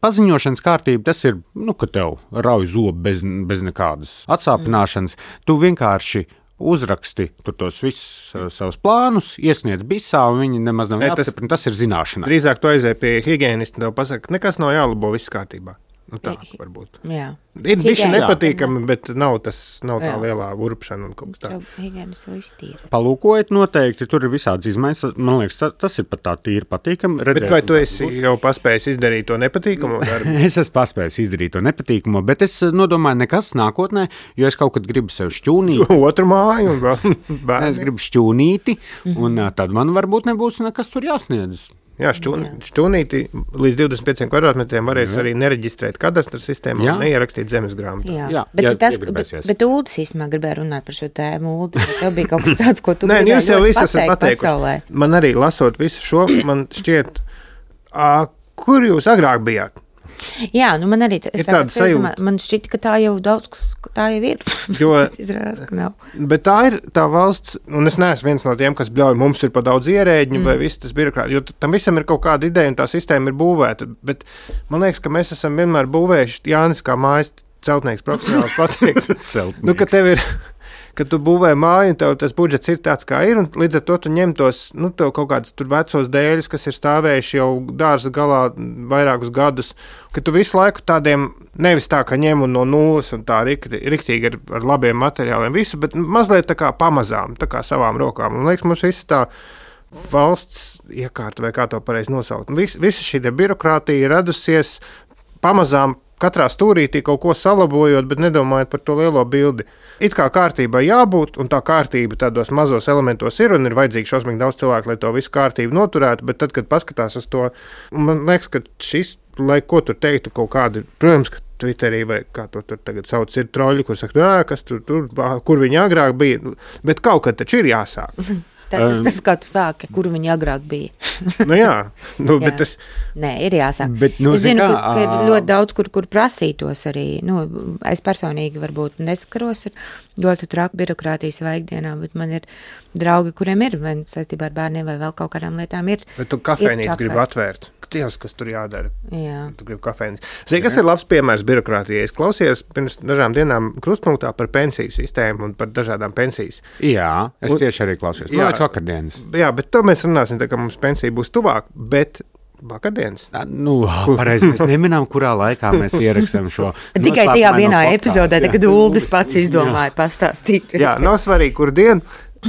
paziņošanas kārtība, tas ir, nu, ka tev rauj zobu bez, bez nekādas atsāpināšanas. Mm. Tu vienkārši uzraksti tur tos visus uh, savus plānus, iesniedz bisā, un viņi nemaz nav Ne, tas- jāapstiprina. Tas ir zināšana. Drīzāk tu aizēji pie higienista un tev pasaka, ka nekas nav jālabo, viss kārtībā. Nu, tā varbūt. Jā. Ir bišķi Higiēnists nepatīkami, bet nav, tas, nav tā Jā. lielā urpšana un kaut kas tāds. Higienas to iztīra. Palūkojiet, noteikti tur ir visādas izmaiņas. Tas- Man liekas, tas, tas ir pat tā tīri patīkami. Bet vai tu esi jau paspējis izdarīt to nepatīkamo darbu? Es esmu paspējis izdarīt to nepatīkamo, bet es nodomāju, nekas nākotnē, jo es kaut kad gribu sev šķūnīt. Otru māju un vēl bērni. Es gribu šķūnīti, un mm-hmm. tad man varbūt nebūs nekas tur jāsniedz. Jā, šķūn, šķūnīti līdz divdesmit pieciem kvadrātmetriem varēs Jā. arī nereģistrēt kadastra sistēmā Jā. un neierakstīt zemes grāmatā. Jā, Jā, bet, ja ja, tas, bet, iegribēsies. bet Uldis īstenībā gribēja runāt par šo tēmu. Uldi, vai tev bija kaut kas tāds, ko tu Nē, nu gribēji jūs jau ļoti visi esat pateikt pateikuši. pasaulē? Man arī lasot visu šo, man šķiet, ā, kur jūs agrāk bijāt? Jā, nu man arī Ir es tāda tagad sajūta. domāju, man šķita, ka tā jau daudz, kas- ka tā jau ir. Jo, Izrādās, ka nav. bet tā ir tā valsts, un es neesmu viens no tiem, kas bļauj, mums ir pa daudz ierēģiņu mm. vai viss tas birokrāts, jo tam visam ir kaut kāda ideja un tā sistēma ir būvēta. Bet man liekas, ka mēs esam vienmēr būvējuši Jānis kā mājas celtnieks profesionāls pateiks. Nu, ka tev ir, ka tu būvē māju, un tev tas budžets ir tāds, kā ir, un līdz ar to tu ņem tos, nu, tev kaut kādus tur vecos dēļus, kas ir stāvējuši jau dārza galā vairākus gadus, ka tu visu laiku tādiem, nevis tā, ka ņem un no nulles un tā rikti- riktīgi ar, ar labiem materiāliem visu, bet mazliet tā kā pamazām, tā kā savām rokām. Un liekas, mums visa tā valsts iekārta, vai kā to pareizi nosaukt. Vis, visa šī te birokrātija ir radusies pamazām, katrā stūrītī kaut ko salabojot, bet nedomājot par to lielo bildi. It kā kārtībai jābūt, un tā kārtība tādos mazos elementos ir, un ir vajadzīgi šausmīgi daudz cilvēku, lai to visu kārtību noturētu, bet tad, kad paskatās uz to, man liekas, ka šis, lai ko tur teiktu, kaut kādi, protams, ka Twitterī vai kā to tur tagad sauc, ir troļi, kur saka, jā, kas tur, tur, kur viņi agrāk bija, bet kaut kad taču ir jāsāk. Tā, tas, tas, kā tu sāki, kur viņi agrāk bija. Nu jā, nu, Jā. bet tas, Nē, ir jāsāk. Bet, nu, es zinu, zini ka, kā, ka ir ā, ļoti daudz, kur, kur prasītos arī. Nu, es personīgi varbūt neskaros ar ļoti traku birokrātijas vaikdienā, bet man ir draugi, kuriem ir, vai saistībā ar bērniem vai vēl kaut kādām lietām ir. bet tu kafejnīcu Ir gribi čakars. atvērt. Dievs, kas tur jādara? Jā. Tu gribi kafejnīcu. Zini, kas ir labs piemērs birokrātijai? Es klausījos pirms dažām dienām krustpunktā par pensiju sistēmu un par dažādām pensijas. Jā, es Un- tieši arī klausījos. Jā. Jā, vakardienas. Jā, bet to mēs runāsim, tā kā mums pensija būs tuvāk, bet vakardienas. Nu, pareizi, mēs neminām, kurā laikā mēs ierakstām šo. Tikai tajā vienā epizodē, kad Uldis pats izdomāja pastāstīt. Jā, nav svarīgi, kur dienu.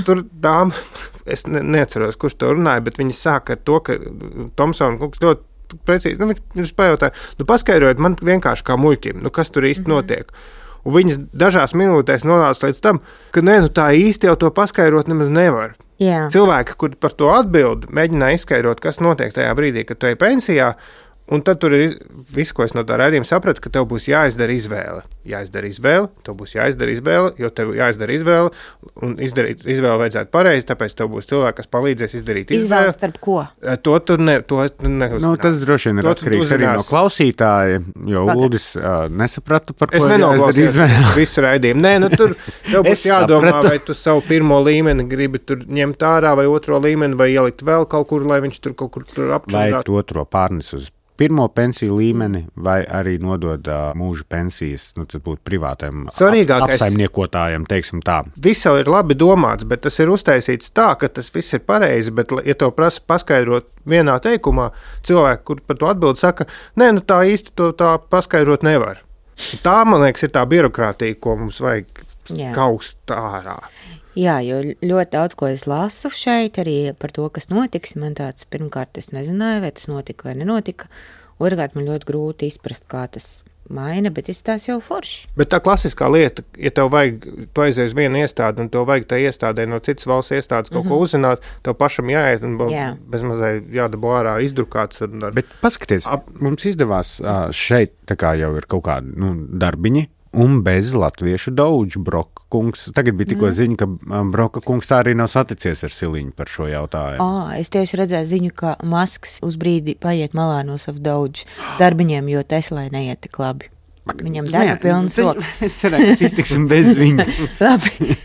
Tur dāma, es ne, neatceros, kurš to runāja, bet viņi sāka ar to, ka Tomsona kungs ļoti precīzi, nu, viņš pajautāja, nu, paskaidrojiet man vienkārši kā muļķim, nu, kas tur īsti mm-hmm. notiek. Un viņas dažās minūtēs nonāca līdz tam, ka nē, nu, tā īsti jau to paskaidrot nemaz nevar. Jā. Cilvēki, kuri par to atbild, mēģināja izskaidrot, kas notiek tajā brīdī, kad tu ej pensijā, un tad tur ir viss, ko es no tā raidījuma sapratu, ka tev būs jāizdara izvēle. Jāizdara izvēle, tev būs jāizdara izvēle, jo tev jāizdara izvēle, un izdarīt izvēle vajadzētu pareizi, tāpēc tev būs cilvēki, kas palīdzēs izdarīt izvēli. Izvēle starp ko? To tur ne, to neuzzinās. Nu, tas droši vien ir atkarīgs arī no klausītāja, jo Pagad. Uldis uh, nesapratu, par ko jāizdara izvēle. Visu raidījumu. Nē, nu tur tev būs jādomā, sapratu. Vai tu savu pirmo līmeni gribi tur ņemt ārā, vai otro līmeni, vai ielikt vēl kaut kur, lai viņš tur kaut kur tur apčundāt. Vai otro pārnes uz pirmo pensiju līmeni, vai arī nodod uh, mūža pensijas, nu, tas būtu privātiem apsaimniekotājiem, teiksim tā. Viss jau ir labi domāts, bet tas ir uztaisīts tā, ka tas viss ir pareizi, bet, ja tev prasa paskaidrot vienā teikumā, cilvēki, kur par to atbild, saka, nē, nu tā īsti to tā paskaidrot nevar. Tā, man liekas, ir tā birokrātija, ko mums vajag Jā. Kaust ārā. Jā, jo ļoti daudz, ko es lasu šeit arī par to, kas notiks, man tāds pirmkārt es nezināju, vai tas notika vai nenotika, otrkārt man ļoti grūti izprast, kā tas maina, bet izstās jau forši. Bet tā klasiskā lieta, ja tev vajag, tu aizies vienu iestādi un tev vajag tā iestādē no citas valsts iestādes kaut mm-hmm. ko uzzināt, tev pašam jāiet un Jā. bezmazai jādabū ārā izdrukāts. Ar... Bet paskaties, ap... mums izdevās šeit tā kā jau ir kaut kādi nu, darbiņi, un bez latviešu daudžu Broka kungs. Tagad bija tikko mm. ziņa, ka Broka kungs tā arī nav saticies ar Siliņu par šo jautājumu. Oh, es tieši redzēju ziņu, ka Masks uz brīdi paiet malā no savu daudžu darbiņiem, jo Teslai neiet tik labi. Viņam darba pilnas rokas. Es cerēju, ka iztiksim bez viņa. Labi.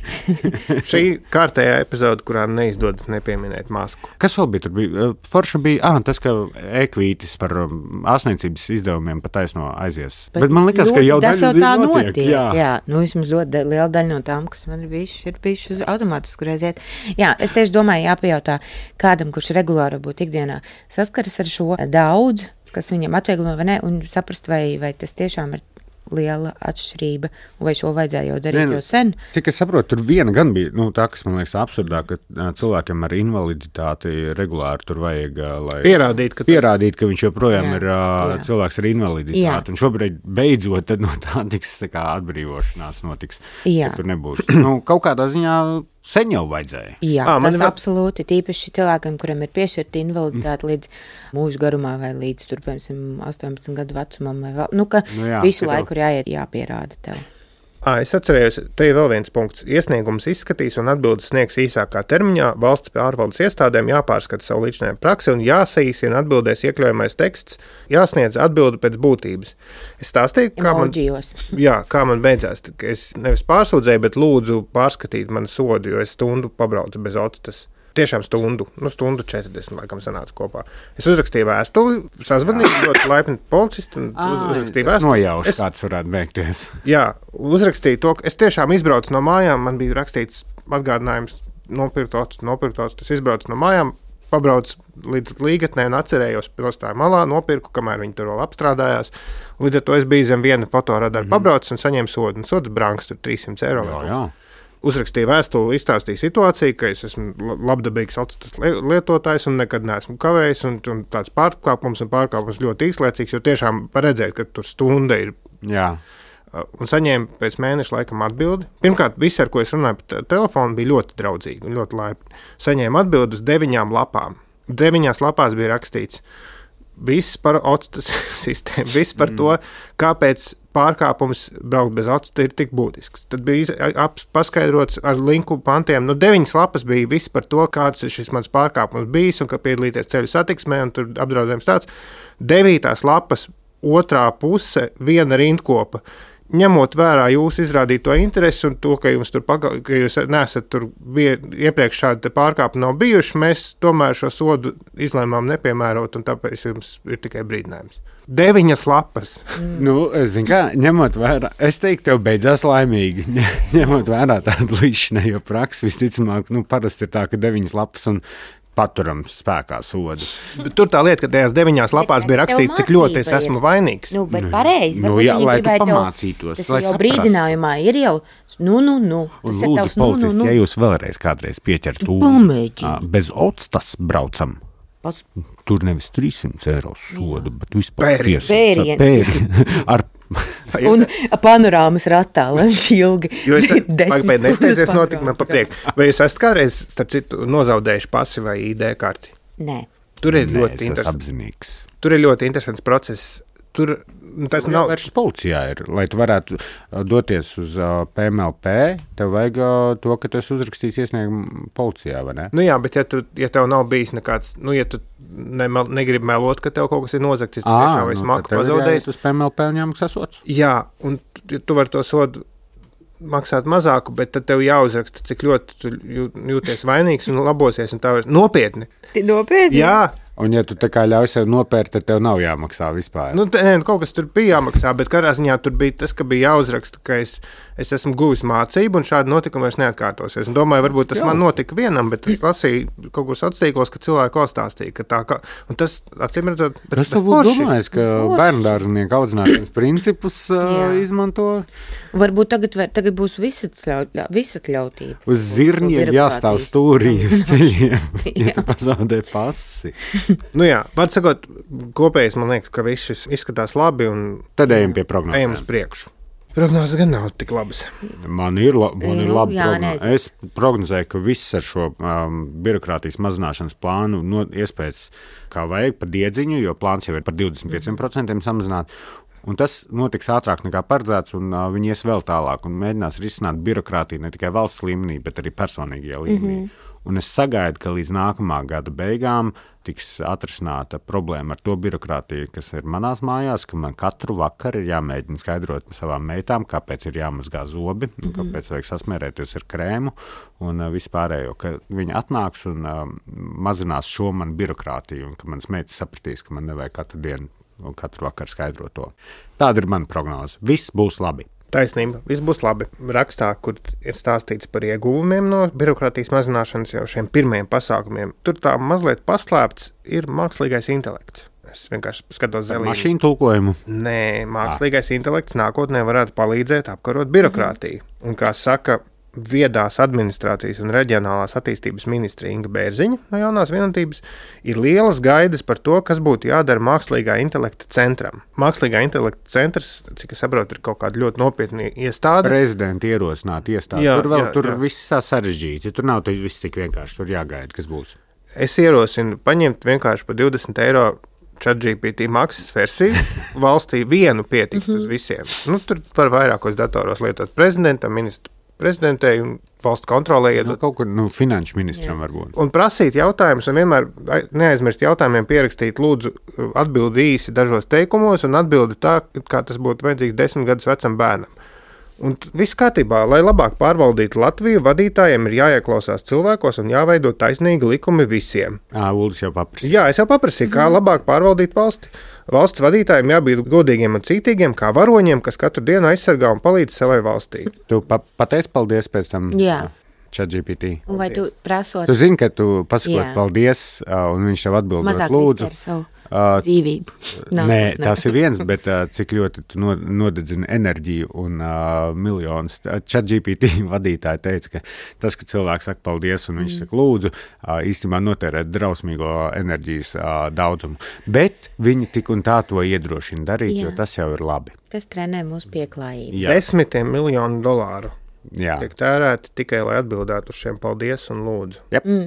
Šī kārtējā epizode, kurā neizdodas nepieminēt Masku. Kas vēl bija tur? Bija? Forša bija ah, tas, ka e-kvītis par ārstniecības izdevumiem pa taisno aizies. Bet, Bet man likās, ļoti, ka jau tas jau tā notiek. notiek. Jā. Jā, nu vismaz ļoti liela daļa no tām, kas man ir bijuši, ir bijuši uz automātisku reiziet. Jā, es tieši domāju, jāpajautā kādam, kurš regulāri būtu ikdienā saskaras ar šo daudz, kas viņam atvieglo vai ne, un saprast, vai, vai tas tiešām ir liela atšķirība, vai šo vajadzēja jau darīt ne, jau sen. Cik es saprotu, tur viena gan bija, nu, tā, kas man liekas absurdā, ka cilvēkiem ar invaliditāti regulāri tur vajag, lai pierādīt, ka, pierādīt, ka viņš joprojām jā, ir jā. cilvēks ar invaliditāti. Jā. Un šobrīd beidzot tad no tā tiks tā kā atbrīvošanās notiks. Jā. Tur nebūs. Nu, kaut kādā ziņā sen jau vajadzēja. Jā, à, tas var... absolūti, tīpaši cilvēkiem, kuriem ir piešķirta invaliditāte līdz mūža garumā vai līdz, tur, piemēram, astoņpadsmit gadu vecumam vai vēl, nu, ka nu jā, visu laiku ir jāiet, jāpierāda tev. À, es atcerējos, te ir vēl viens punkts. Iesniegums izskatīs un atbildes sniegs īsākā termiņā. Valsts pārvaldes iestādēm jāpārskata savu līdzinējumu praksi un jāsaīsina atbildēs iekļaujamais teksts, jāsniedz atbildi pēc būtības. Es stāstīju, kā man, jā, kā man beidzās. Es nevis pārsūdzēju, bet lūdzu pārskatīt manu sodu, jo es stundu pabraucu bez otas. Tiešām stundu, nu stundu četrdesmit laikam sanāca kopā. Es uzrakstīju vēstuli, sazvanīju ļoti laipni policistu un uzrakstīju vēstuli. Nojaušu, es, kāds varētu beigties. Jā, uzrakstīju to, ka es tiešām izbraucu no mājām, man bija rakstīts atgādinājums nopirkt otas, nopirkt otas, tas izbraucu no mājām, pabraucu līdz līgatnē un atcerējos nostāju malā, nopirku, kamēr viņi tur vēl apstrādājās. Līdz ar to es biju zem viena fotoradara mm-hmm. pabraucu un saņēmu sodu, un sods brangs tur trīs simti eiro. Jā, jā. Uzrakstīju vēstuli, izstāstīju situāciju, ka es esmu labdabīgs autostas lietotājs un nekad neesmu kavējis, un, un tāds pārkāpums un pārkāpums ļoti īslaicīgs, jo tiešām paredzēt, ka tur stunda ir. Jā. Un saņēmu pēc mēneša laikam atbildi. Pirmkārt, visi, ar ko es runāju pa telefonu, bija ļoti draudzīgi un ļoti laipni. Saņēmu atbildi uz deviņām lapām. Deviņās lapās bija rakstīts viss par otas sistēmu, viss par mm. to, kāpēc pārkāpums braukt bez otas ir tik būtisks. Tad bija paskaidrots ar linku pantiem. Nu, deviņas lapas bija viss par to, kāds ir šis mans pārkāpums bijis un ka piedalīties ceļu satiksmē un tur apdraudējums tāds. Devītās lapas otrā puse viena rindkopa. Ņemot vērā jūsu izrādīto interesi un to, ka jums tur paga, ka jūs nesat tur bija, iepriekš šādi pārkāpumi nav bijuši, mēs tomēr šo sodu izlēmām nepiemērot un tāpēc jums ir tikai brīdinājums. Deviņas lapas. Mm. Nu, zin kā, ņemot vērā, es teiktu, tev beidzās laimīgi. Ņemot vērā tādu līdzinējo praksi, visticamāk, nu, parasti ir tā, ka deviņas lapas un paturam spēkā sodu. Tur tā lieta, ka tajās deviņās lapās bija rakstīts, cik ļoti es esmu vainīgs. Nu, bet pareizi. Nu, jā, lai tu pamācītos. Tas jau brīdinājumā ir jau, nu, nu, nu. Un lūdzu, policisti, nu, nu. Ja jūs vēlreiz kādreiz pieķert ūdeni, bez octas braucam. Pas... Tur nevis trīssimts eiro sodu, jā. Bet vispār pēriens. Pēriens. Ar... Un panorāmas ratā, lai viņš ilgi jo es desmit nesteidzies notikumā pa priek. Vai jūs esat kādreiz, starp citu, nozaudējuši pasi vai I D karti? Nē. Tur ir Nē, ļoti interesants. Apzinīgs. Tur ir ļoti interesants process. Tur tas nav vairs policijā ir, lai tu varētu doties uz uh, P M L P, tev vajag uh, to, ka tu esi uzrakstījis iesniegumu policijā, vai ne? Nu jā, bet ja, tu, ja tev nav bijis nekāds, nu ja tu ne, negribi melot, ka tev kaut kas ir nozagts, ja tu tiešām vai smaku pazaudējis. Uz P M L P un jāmaksā sods. Jā, un tu, tu vari to sodu maksāt mazāku, bet tad tev jāuzraksta, cik ļoti tu jūties vainīgs un labosies, un tā var nopietni. Nopietni? Jā. Un, ja tu tā kā ļauj sev nopērt, tad tev nav jāmaksā vispār. Nu, nē, kaut kas tur bija jāmaksā, bet katrā ziņā tur bija tas, ka bija jāuzraksta, ka es, es esmu guvis mācību un šādi notikumi vairs neatkārtosies. Un domāju, varbūt tas Jā. Man notika vienam, bet es lasīju kaut kur sociālos, ka cilvēki vēl stāstīja, ka tā kā, un tas, acīm redzot, bet tas tev būtu domājis, ka bērndārznieku audzināšanas principus uh, izmanto. Varbūt tagad, tagad būs visatļautība. Uz zirņiem jāstāv stūrī uz ceļiem, ja tu pazaudē pasi. Nu jā, var sakot, kopējais man liekas, ka viss šis izskatās labi un tad ejam pie prognozēm. Ejam uz priekšu. Prognozes gan nav tik labas. Man ir, la, man ir labi prognozē. Es prognozēju, ka viss ar šo um, birokrātijas mazināšanas plānu no, iespējas kā vajag pa diedziņu, jo plāns jau ir par divdesmit pieciem procentiem samazināt. Un tas notiks ātrāk nekā paredzēts, un uh, viņi ies vēl tālāk un mēģinās risināt birokrātiju ne tikai valsts līmenī, bet arī personīgajā līmenī. Mm-hmm. Un es sagaidu, ka līdz nākamā gada beigām tiks atrisināta problēma ar to birokrātiju, kas ir manās mājās, ka man katru vakaru ir jāmēģina skaidrot savām meitām, kāpēc ir jāmazgā zobi, mm-hmm. kāpēc vajag sasmērēties ar krēmu un uh, vispārējo, ka viņi atnāks un uh, mazinās šo man birokrātiju, un ka manas meitas sapratīs, ka man nevajag katru dienu un katru vakaru skaidrot to. Tāda ir mana prognoze. Viss būs labi. Taisnība, viss būs labi. Rakstā, kur ir stāstīts par ieguvumiem no birokrātijas mazināšanas jau šiem pirmajiem pasākumiem, tur tā mazliet paslēpts ir mākslīgais intelekts. Es vienkārši skatos zelīni. Mašīnu tulkojumu? Nē, mākslīgais ah. intelekts nākotnē varētu palīdzēt apkarot birokrātiju. Mm-hmm. Un kā saka viedās administrācijas un reģionālās attīstības ministre Inga Bērziņa no Jaunās vienotības, ir lielas gaidas par to, kas būtu jādara mākslīgā intelekta centram. Mākslīgā intelekta centrs, cik es saprotu, ir kaut kāda ļoti nopietna iestāde. Prezidenti ierosināt iestādi. Jā, tur vēl jā, tur jā. Viss tā sarežģīti. Tur nav viss tik vienkārši. Tur jāgaida, kas būs. Es ierosinu paņemt vienkārši par divdesmit eiro ChatGPT maksas versiju. Valstī vienu pietikt uz visiem. Nu, tur var vairākos datoros lietot prezidentam, ministru prezidentei un valsts kontrolē iedot. Nu, kaut kur nu, finanšu ministram Jā. Varbūt. Un prasīt jautājumus, un vienmēr neaizmirst jautājumiem pierakstīt, lūdzu, atbildi īsi dažos teikumos, un atbildi tā, kā tas būtu vajadzīgs desmit gadus vecam bērnam. Un viss kārtībā, lai labāk pārvaldītu Latviju, vadītājiem ir jāieklausās cilvēkos un jāveido taisnīgi likumi visiem. Ā, Uldis jau paprasīja. Jā, es jau paprasīju, kā labāk pārvaldīt valsti. Valsts vadītājiem jābūt godīgiem un cītīgiem, kā varoņiem, kas katru dienu aizsargā un palīdz savai valstī. Tu pa pateici paldies pēc tam? Jā. ChatGPT. Un vai tu prasot? Tu zini, ka tu pasakot paldies, un viņš tev atbildot mazāk lūdzu. Mazāk savu uh, dzīvību. No, nē, no. tas ir viens, bet uh, cik ļoti tu nodedzini enerģiju un uh, miljonus. ChatGPT vadītāji teica, ka tas, ka cilvēks saka paldies un viņš mm. saka lūdzu, uh, īstenībā notērē drausmīgo enerģijas uh, daudzumu. Bet viņi tik un tā to iedrošina darīt, Jā. Jo tas jau ir labi. Tas trenē mūsu pieklājību. Jā. Desmitiem miljonu dolāru. Jā. Tiek tērēti tikai, lai atbildētu uz šiem paldies un lūdzu. Yep. Mm.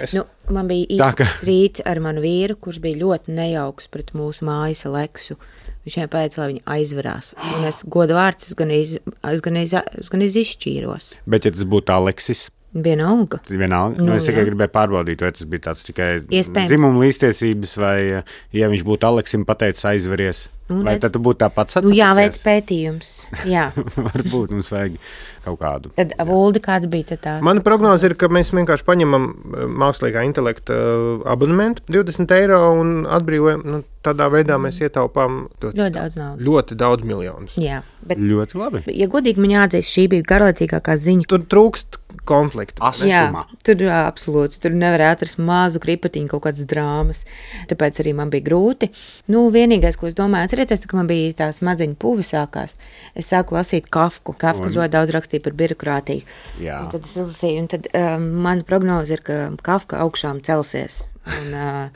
Es... Nu, man bija īsts strīds ar manu vīru, kurš bija ļoti nejauks pret mūsu mājas Aleksu. Viņš viņai pēc, lai viņa aizvarās. Un es godu vārds, es gan, iz, es gan, iz, es gan iz izšķīros. Bet ja tas būtu Aleksis? Vienalga. Vienalga. Nu, nu, es tikai jā. gribēju pārbaudīt, vai tas bija tāds tikai Iespējams. Dzimuma līdztiesības, vai ja viņš būtu Aleksim pateicis aizveries, nu, vai tad tu būtu tāpat sacapsies? Nu, jāveic pētījums. Jā. Varbūt mums vajag, kaut kādu. Tad Uldi, kāda bija tā? Mana prognoze ir, ka mēs vienkārši paņemam mākslīgā intelekta abonementu divdesmit eiro un atbrīvojam. Nu, tādā veidā mēs ietaupām ļoti, Ļoti daudz naudas. ļoti daudz miljonus. Jā, bet, Ļoti labi. ja godīgi man jāatzīst, šī bija garlaicīgākā ziņa. Tur trūkst konfliktu. Jā, Asumā. tur jā, absolūti. Tur nevarēja atrast mazu kripatiņu, kaut kādas drāmas. Tāpēc arī man bija grūti. Nu, vienīgais, ko es domāju, atcerieties, ka man bija tā smadzeņu puvi sākās. Es sāku lasīt Kafku. Kafka Un- ļoti daudz rakstīja par birokrātiju. Jā. Un tad es izlasīju, un tad um, mana prognoze ir, ka Kafka augšām celsies. Un, uh,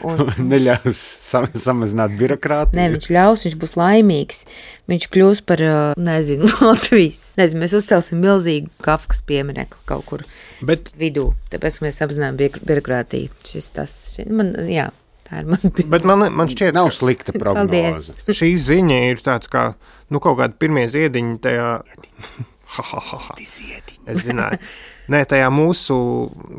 un, Neļaus sam samazināt birokrātiju. Nē, viņš ļaus, viņš būs laimīgs. Viņš kļūs par, uh, nezinu, Latvijas. Nezinu, mēs uzcelsim milzīgu Kafkas pieminekli kaut kur Bet, vidū. Tāpēc mēs apzinām bi- birokrātiju. Šis tas, šis, man, jā, tā ir man. bet man, man šķiet, Nav ka slikta prognoze. Paldies. šī ziņa ir tāds kā, nu, kaut kāda pirmie ziediņi tajā. Ha, ha, ha, ha. Es zināju. Nē, tajā mūsu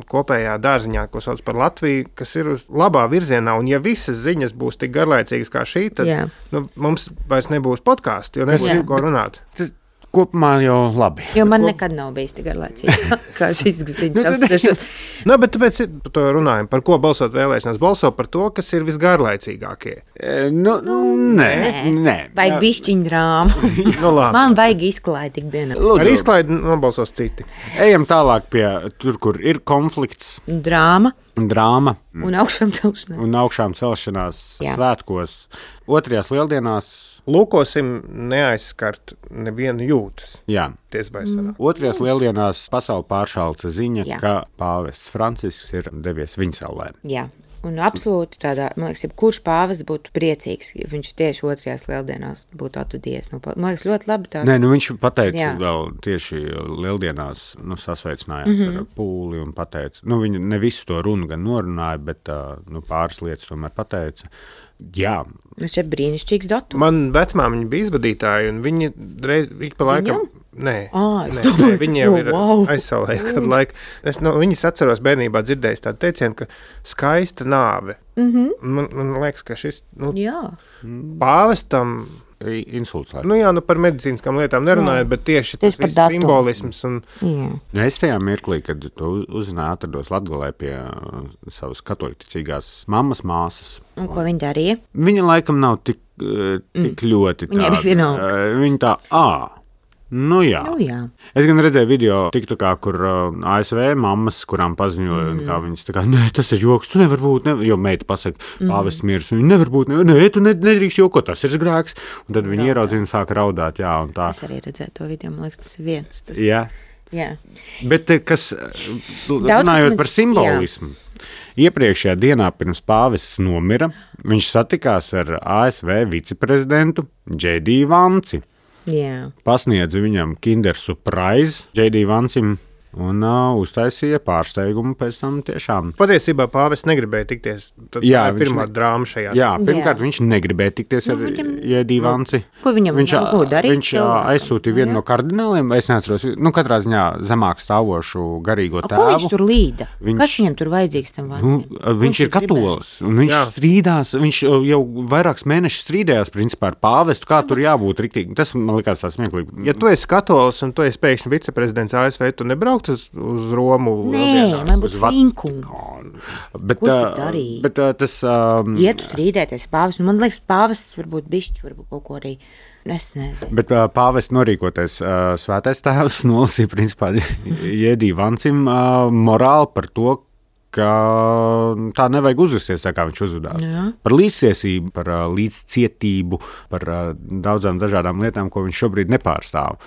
kopējā dārziņā, ko sauc par Latviju, kas ir uz labā virzienā, un ja visas ziņas būs tik garlaicīgas kā šī, tad Jā. nu, mums vairs nebūs podkāstu, jo nebūs Jā. ko runāt. Tas kopumā jau labi. Jo man nekad nav bijis tik garlaicīgi, kā šīs Nu, ziņas tad- apspriešanas. Nu, bet tāpēc ir- par to runājam. Par ko balsot vēlēšanās? Balso par to, kas ir visgarlaicīgākie. E, Nu, nē, nē. Vajag bišķiņu drāmu. Nu, labi. Man vajag izklaidi ikdienā. Ar Lūdzu, izklaidi nobalsos citi. ejam tālāk pie tur, kur ir konflikts, Drāma drāma un augšām celšanās. un augšām celšanās Jā. svētkos. Otrajās lieldienās, Lūkosim neaizskart nevienu jūtas. jā. Ties vai sanāk. Otrajās lieldienās pasauli pāršalca ziņa, Jā. ka pāvests Francisks ir devies viņsaulē. Jā. Un absolūti tādā, man liekas, ja kurš pāvests būtu priecīgs, ja viņš tieši otrajās lieldienās būtu atvadies. Nu, man liekas, ļoti labi tā. Nē, nu viņš pateica Jā. vēl tieši lieldienās, nu, sasveicinājās Mhm. mm -hmm. ar pūli un pateica, nu, viņi ne visu to runu gan norunāja, bet uh, nu, pāris lietas tomēr pateica. Jā, Nu, šeit brīnišķīgs datums. Man vecmāmiņa bija izvadītāja, un viņi reiz ik pa laikam. Viņam? Nē, Ā, es nē, domāju, nē, viņi jau o, ir wow. aizsaulē. Kad laik, es no viņas atceros bērnībā dzirdējis tādu teicienu, ka skaista nāve. Mm -hmm. man, man liekas, ka šis nu, Jā. pāvestam, i- insults. nu jā, nu par medicīniskām lietām nerunājot, bet tieši tas Tieši par viss datumu. simbolisms un Jā. Nu, es tajā mirklī, kad to uz- uzzināju, atrados Latgalē pie uh, savas katoļticīgās mammas māsas. Un ko viņi darīja? Viņa laikam nav tik, uh, tik mm. ļoti Viņai bija tāda. vienalga. Uh, viņa tā, ā, nu jā. Nu, jā. Es gan redzēju video, TikTokā, kur uh, A S V mammas, kurām paziņoja, mm. kā viņas tā kā, nē, tas ir joks, tu nevar būt, nevar, jo meita pasaka, Mm. pāvests mirs, un viņa nevar būt, nē, nē tu ne- nedrīkst jokot, tas ir grēks. Un tad viņi ieraudzīja un sāka raudāt, jā, un tā. Es arī redzēju to video, man liekas, tas ir viens. Tas, Jā. jā. Bet eh, kas, eh, Daudz, kas runājot man- par simbolismu, iepriekšējā dienā pirms pāvests nomira, viņš satikās ar A S V viceprezidentu Džei Dī Vanci. jā. Pasniedza viņam Kinder Surprise Džei Dī Vancim un uh, uztaisīja pārsteigumu pēc tam tiešām. patiesībā pāvests negribēja tikties. Tad Jā, tā ir viņš pirmā ne- drāma šajā. Jā, pirmkārt, Jā. viņš negribēja tikties Nu, ar viņam- Jēdī Vanci. Ko viņam Viņš, nav ko darīt viņš ā, cilvēkam? aizsūtīja vienu Jā. no kardināliem, es neatceros, nu, katrā ziņā zemāk stāvošu garīgo A, ko viņš tēvu. tur līda? Viņš- Kas viņam tur vajadzīgs tam Nu, vācim? viņš ir katolis, un viņš Jā. Jā. strīdās, viņš jau vairākus mēnešus strīdējās principā ar pāvestu, kā tur jābūt riktīgi. Tas man likās tā smieklīgi. Ja tu esi katolis un tu esi pēkšņi viceprezidents A S V, tu nebraukt uz, uz Romu. Nē, lieldienās? man būtu uz vat- slinkums. Bet, Ko es ā, tur darīju? bet ā, tas, um, Ietu strīdēties ar pāvestu. Man liekas, pāvests varbūt bišķi, varbūt kaut ko arī. Es nezinu. Bet uh, pāvests norīkoties, uh, svētais tēvs nolasīja principā Jēdī Vancim uh, morāli par to, ka tā nevajag uzvesties tā, kā viņš uzvedās. Jā. Par līdztiesību, par uh, līdzcietību, par uh, daudzām dažādām lietām, ko viņš šobrīd nepārstāv.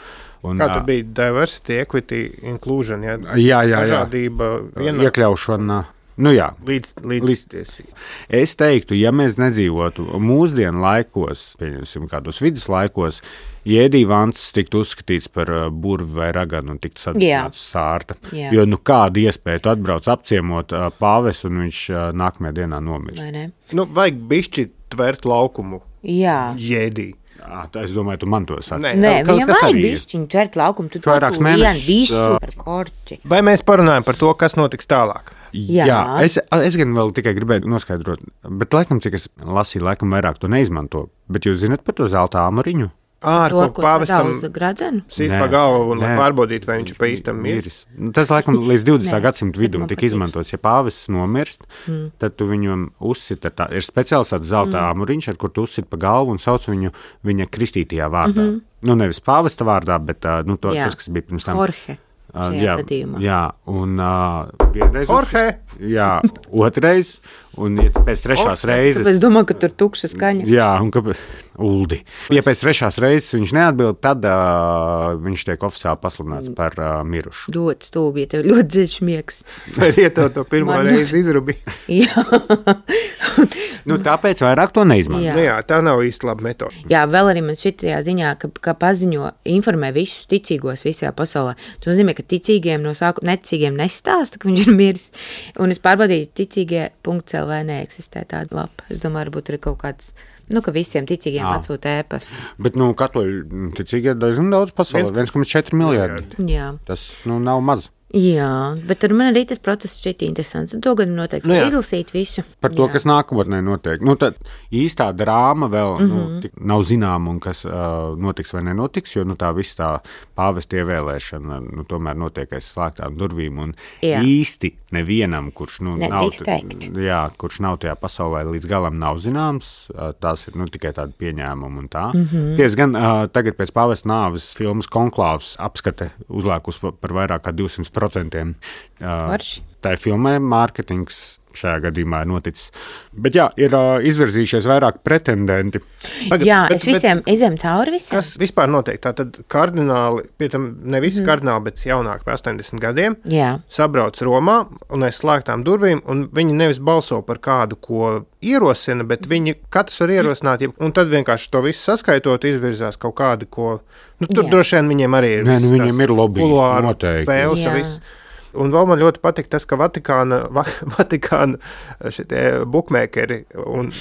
Un, Kā tur ā, bija diversity, equity, inclusion, ja? Jā, jā, jā. dažādība, viena Iekļaušana. Nu jā, līdz, līdztiesība. es teiktu, ja mēs nedzīvotu mūsdienu laikos, pieņemsim kādos vidus laikos, Jēdī Vants tiktu uzskatīts par uh, burvi vai raganu un tiktu sadedzināts sārta. Jā. Jo nu kāda iespēja tu atbrauc apciemot uh, pāvestu un viņš uh, nākamajā dienā nomirst. Vai ne? Nu, vajag bišķi tvērt laukumu Jā. jēdī. Jā, tā es domāju, tu man to saki. Nē. Nē, Kaut viņam kas vajag arī ir. bišķiņu tvert laukumu. Tu Vairākus to vienu mēnešus, visu ā. par korķi. Vai mēs parunājam par to, kas notiks tālāk? Jā, Jā. es, es gan vēl tikai gribēju noskaidrot, bet laikam, cik es lasīju, laikam vairāk to neizmanto. Bet jūs zināt par to zelta āmuriņu? Ā, ar To, ko ko pāvestam sadauza gradzenu? sīt Nē, pa galvu un lai nē. pārbaudītu, vai viņš pa īstam miris. Miris. Tas, laikam, līdz divdesmitā Nē, gadsimta bet vidum man tika patīk. izmantots. Ja pāvests nomirst, mm. tad tu viņam uzsita, tā, ir speciāls tāds zelta mm. āmuriņš, ar kur tu uzsit pa galvu un sauc viņu viņa kristītajā vārdā. Mm -hmm. Nu, nevis pāvesta vārdā, bet uh, nu, to, Jā. tas, kas bija pirms tam. Jorge. Uh, šajā jā, gadījumā. jā, un uh, vienreiz. Jorge! Jā, otrais, un ja pēc trešās reizes. Es domāju, ka tur tukša skaņa. Jā, un kāpēc? Uldi. Ja pēc trešās reizes viņš neatbild, tad uh, viņš tiek oficiāli pasludināts par uh, mirušu. Ļoti stūbi, ja tev ļoti dziļš miegs. Vai ieto to pirmo Man- reizi izrubi? Jā. Nu, tāpēc vairāk to neizmanto. Jā. Nu jā, tā nav īsti laba metode. Jā, vēl arī man šitajā ziņā, ka, ka paziņo, informē visus ticīgos visajā pasaulē. Tas nozīmē, ka ticīgiem no sākuma neticīgiem nestāsta, ka viņš ir miris. Un es pārbaudīju, ticīgie punkts L V neeksistē tāda lapa. Es domāju, varbūt ir kaut kāds, nu, ka visiem ticīgiem Jā. atsūta ēpastu. Bet, nu, katoļu ticīgi ir diezgan daudz pasaulē. viens komats četri miljardi. Jā. Tas, nu, nav maz. Jā, bet tur man arī tas process šķiet interesants. Un to gan noteikti Nu jā. izlasīt visu. Par to, Jā. kas nākotnē notiek. Nu, tad īstā drāma vēl mm -hmm. nu, tik nav zināma, un kas uh, notiks vai nenotiks, jo nu, tā visa tā pāvesta ievēlēšana nu, tomēr notiek aiz slēgtām durvīm. Un Jā. īsti nevienam, kurš, nu, nav, Nedrīkst teikt. jā, kurš nav tajā pasaulē līdz galam nav zināms, uh, tās ir nu, tikai tādi pieņēmumi un tā. Mm -hmm. Ties gan uh, tagad pēc pāvesta nāves filmas Konklāvs apskate uzlēkus par vairāk kā divsimt procentiem. Uh, Forši. tā ir filmē, mārketings šajā gadījumā ir noticis. Bet jā, ir uh, izvirzījušies vairāk pretendenti. Tagad, Jā, bet- es visiem izem cauri visiem. Kas vispār notiek? Tātad kardināli, pie tam ne visi mm. kardināli, bet jaunāki par astoņdesmit gadiem, Jā. sabrauc Romā un aiz slēgtām durvīm, un viņi nevis balso par kādu, ko ierosina, bet viņi katrs var ierosināt, jeb- un tad vienkārši to visu saskaitot, izvirzās kaut kādi, ko, nu, tur Jā. droši vien viņiem arī ir. Nē, nu, viss viņiem tās ir lobbyis, kuluāru noteikti. spēles, Jā. viss. Un vēl man ļoti patīk tas, ka Vatikāna, Va, Vatikāna šitie bukmēkeri un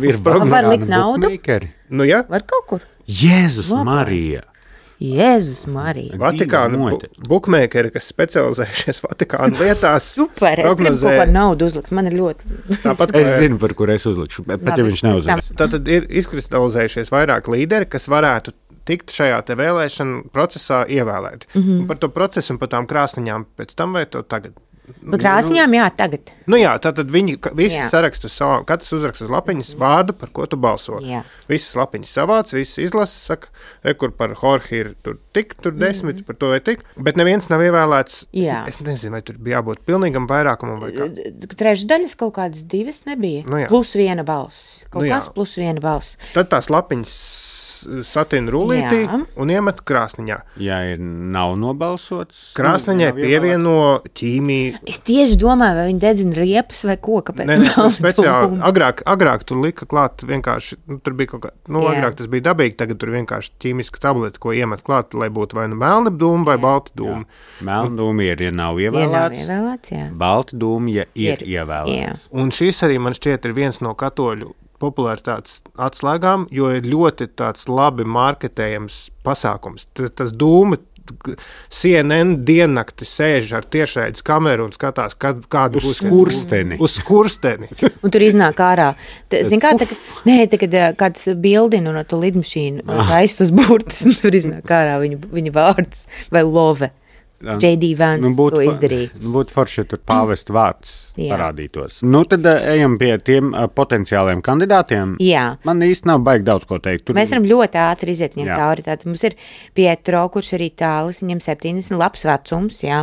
Ir Var likt naudu? bookmakeri. nu, ja, Var kaut kur? Jēzus Labāk. Marija! Jēzus Marija. Vatikāna bu, muite. bukmēkeri, kas specializējušies Vatikāna lietās, Super, es gribu prognozē- kaut par naudu uzlikt. Man ir ļoti... tāpat Es kā- zinu, par kur es uzlikšu, bet pat ja Labi, viņš pēc neuzliks. tam. Tātad ir izkristalizējušies vairāk līderi, kas varētu tikt šajā te vēlēšanu procesā ievēlēti. Mm -hmm. Par to procesu un par tām krāsniņām pēc tam vai to tagad? Par krāsniņām, jā, tagad. Nu jā, tātad viņi ka- visi Jā. saraksta savā, katrs uzraksta uz lapiņas vārdu, par ko tu balso. Jā. Visas lapiņas savāc, visas izlasa, saka, re, kur par Jorge ir tur tik, tur desmit, mm. par to vai tik, bet neviens nav ievēlēts. Jā. Es, es nezinu, vai tur bija jābūt pilnīgam vairākumam vai kā. Trešdaļas kaut kādas divas nebija. Nu jā. Plus viena balss. Kaut Nu jā. kas plus viena balss. Tad tās lapiņas satina rullītī Jā. un iemet krāsniņā. Ja ir nav nobalsots, Krāsniņai nav ievēlēts. pievieno ķīmiju. Es tieši domāju, vai viņi dedzina riepas vai ko, kāpēc Nē, nē, nav speciāli. dūmu. Agrāk, agrāk tur lika klāt vienkārši, nu, tur bija kaut kā, nu, Jā. agrāk tas bija dabīgi, tagad tur vienkārši ķīmiska tableta, ko iemet klāt, lai būtu vai nu melna dūma vai balta dūma. Melna dūma ir, ja nav Ja nav ievēlēts. ievēlēts, jā. Balta dūma, ja ir, Ir, ievēlēts. Un šis arī man šķiet ir viens no katoļu popularitātes atslēgām, jo ir ļoti tāds labi marketējams pasākums. T- Tas dūma, C N N diennakti sēž ar tiešraides kameru un skatās, kad, kāda Uz būs skursteni. Uz skursteni. Un tur iznāk ārā. Zini, kā tā, nē, tā, kad ā, kāds bildina un ar to lidmašīnu taist uz burtas, un tur iznāk ārā viņa, viņa vārds vai love. J D Vance nu, to fa- izdarīja. Nu, būtu forši, ja tur pāvesta vārds Jā. parādītos. Nu, tad uh, ejam pie tiem uh, potenciāliem kandidātiem. Jā. Man īsti nav baigi daudz ko teikt. Tur Mēs varam ļoti ātri iziet viņam Jā. cauri. Tātad mums ir Pietro, kurš ir itālis, viņam septiņdesmit, labs vecums, jā.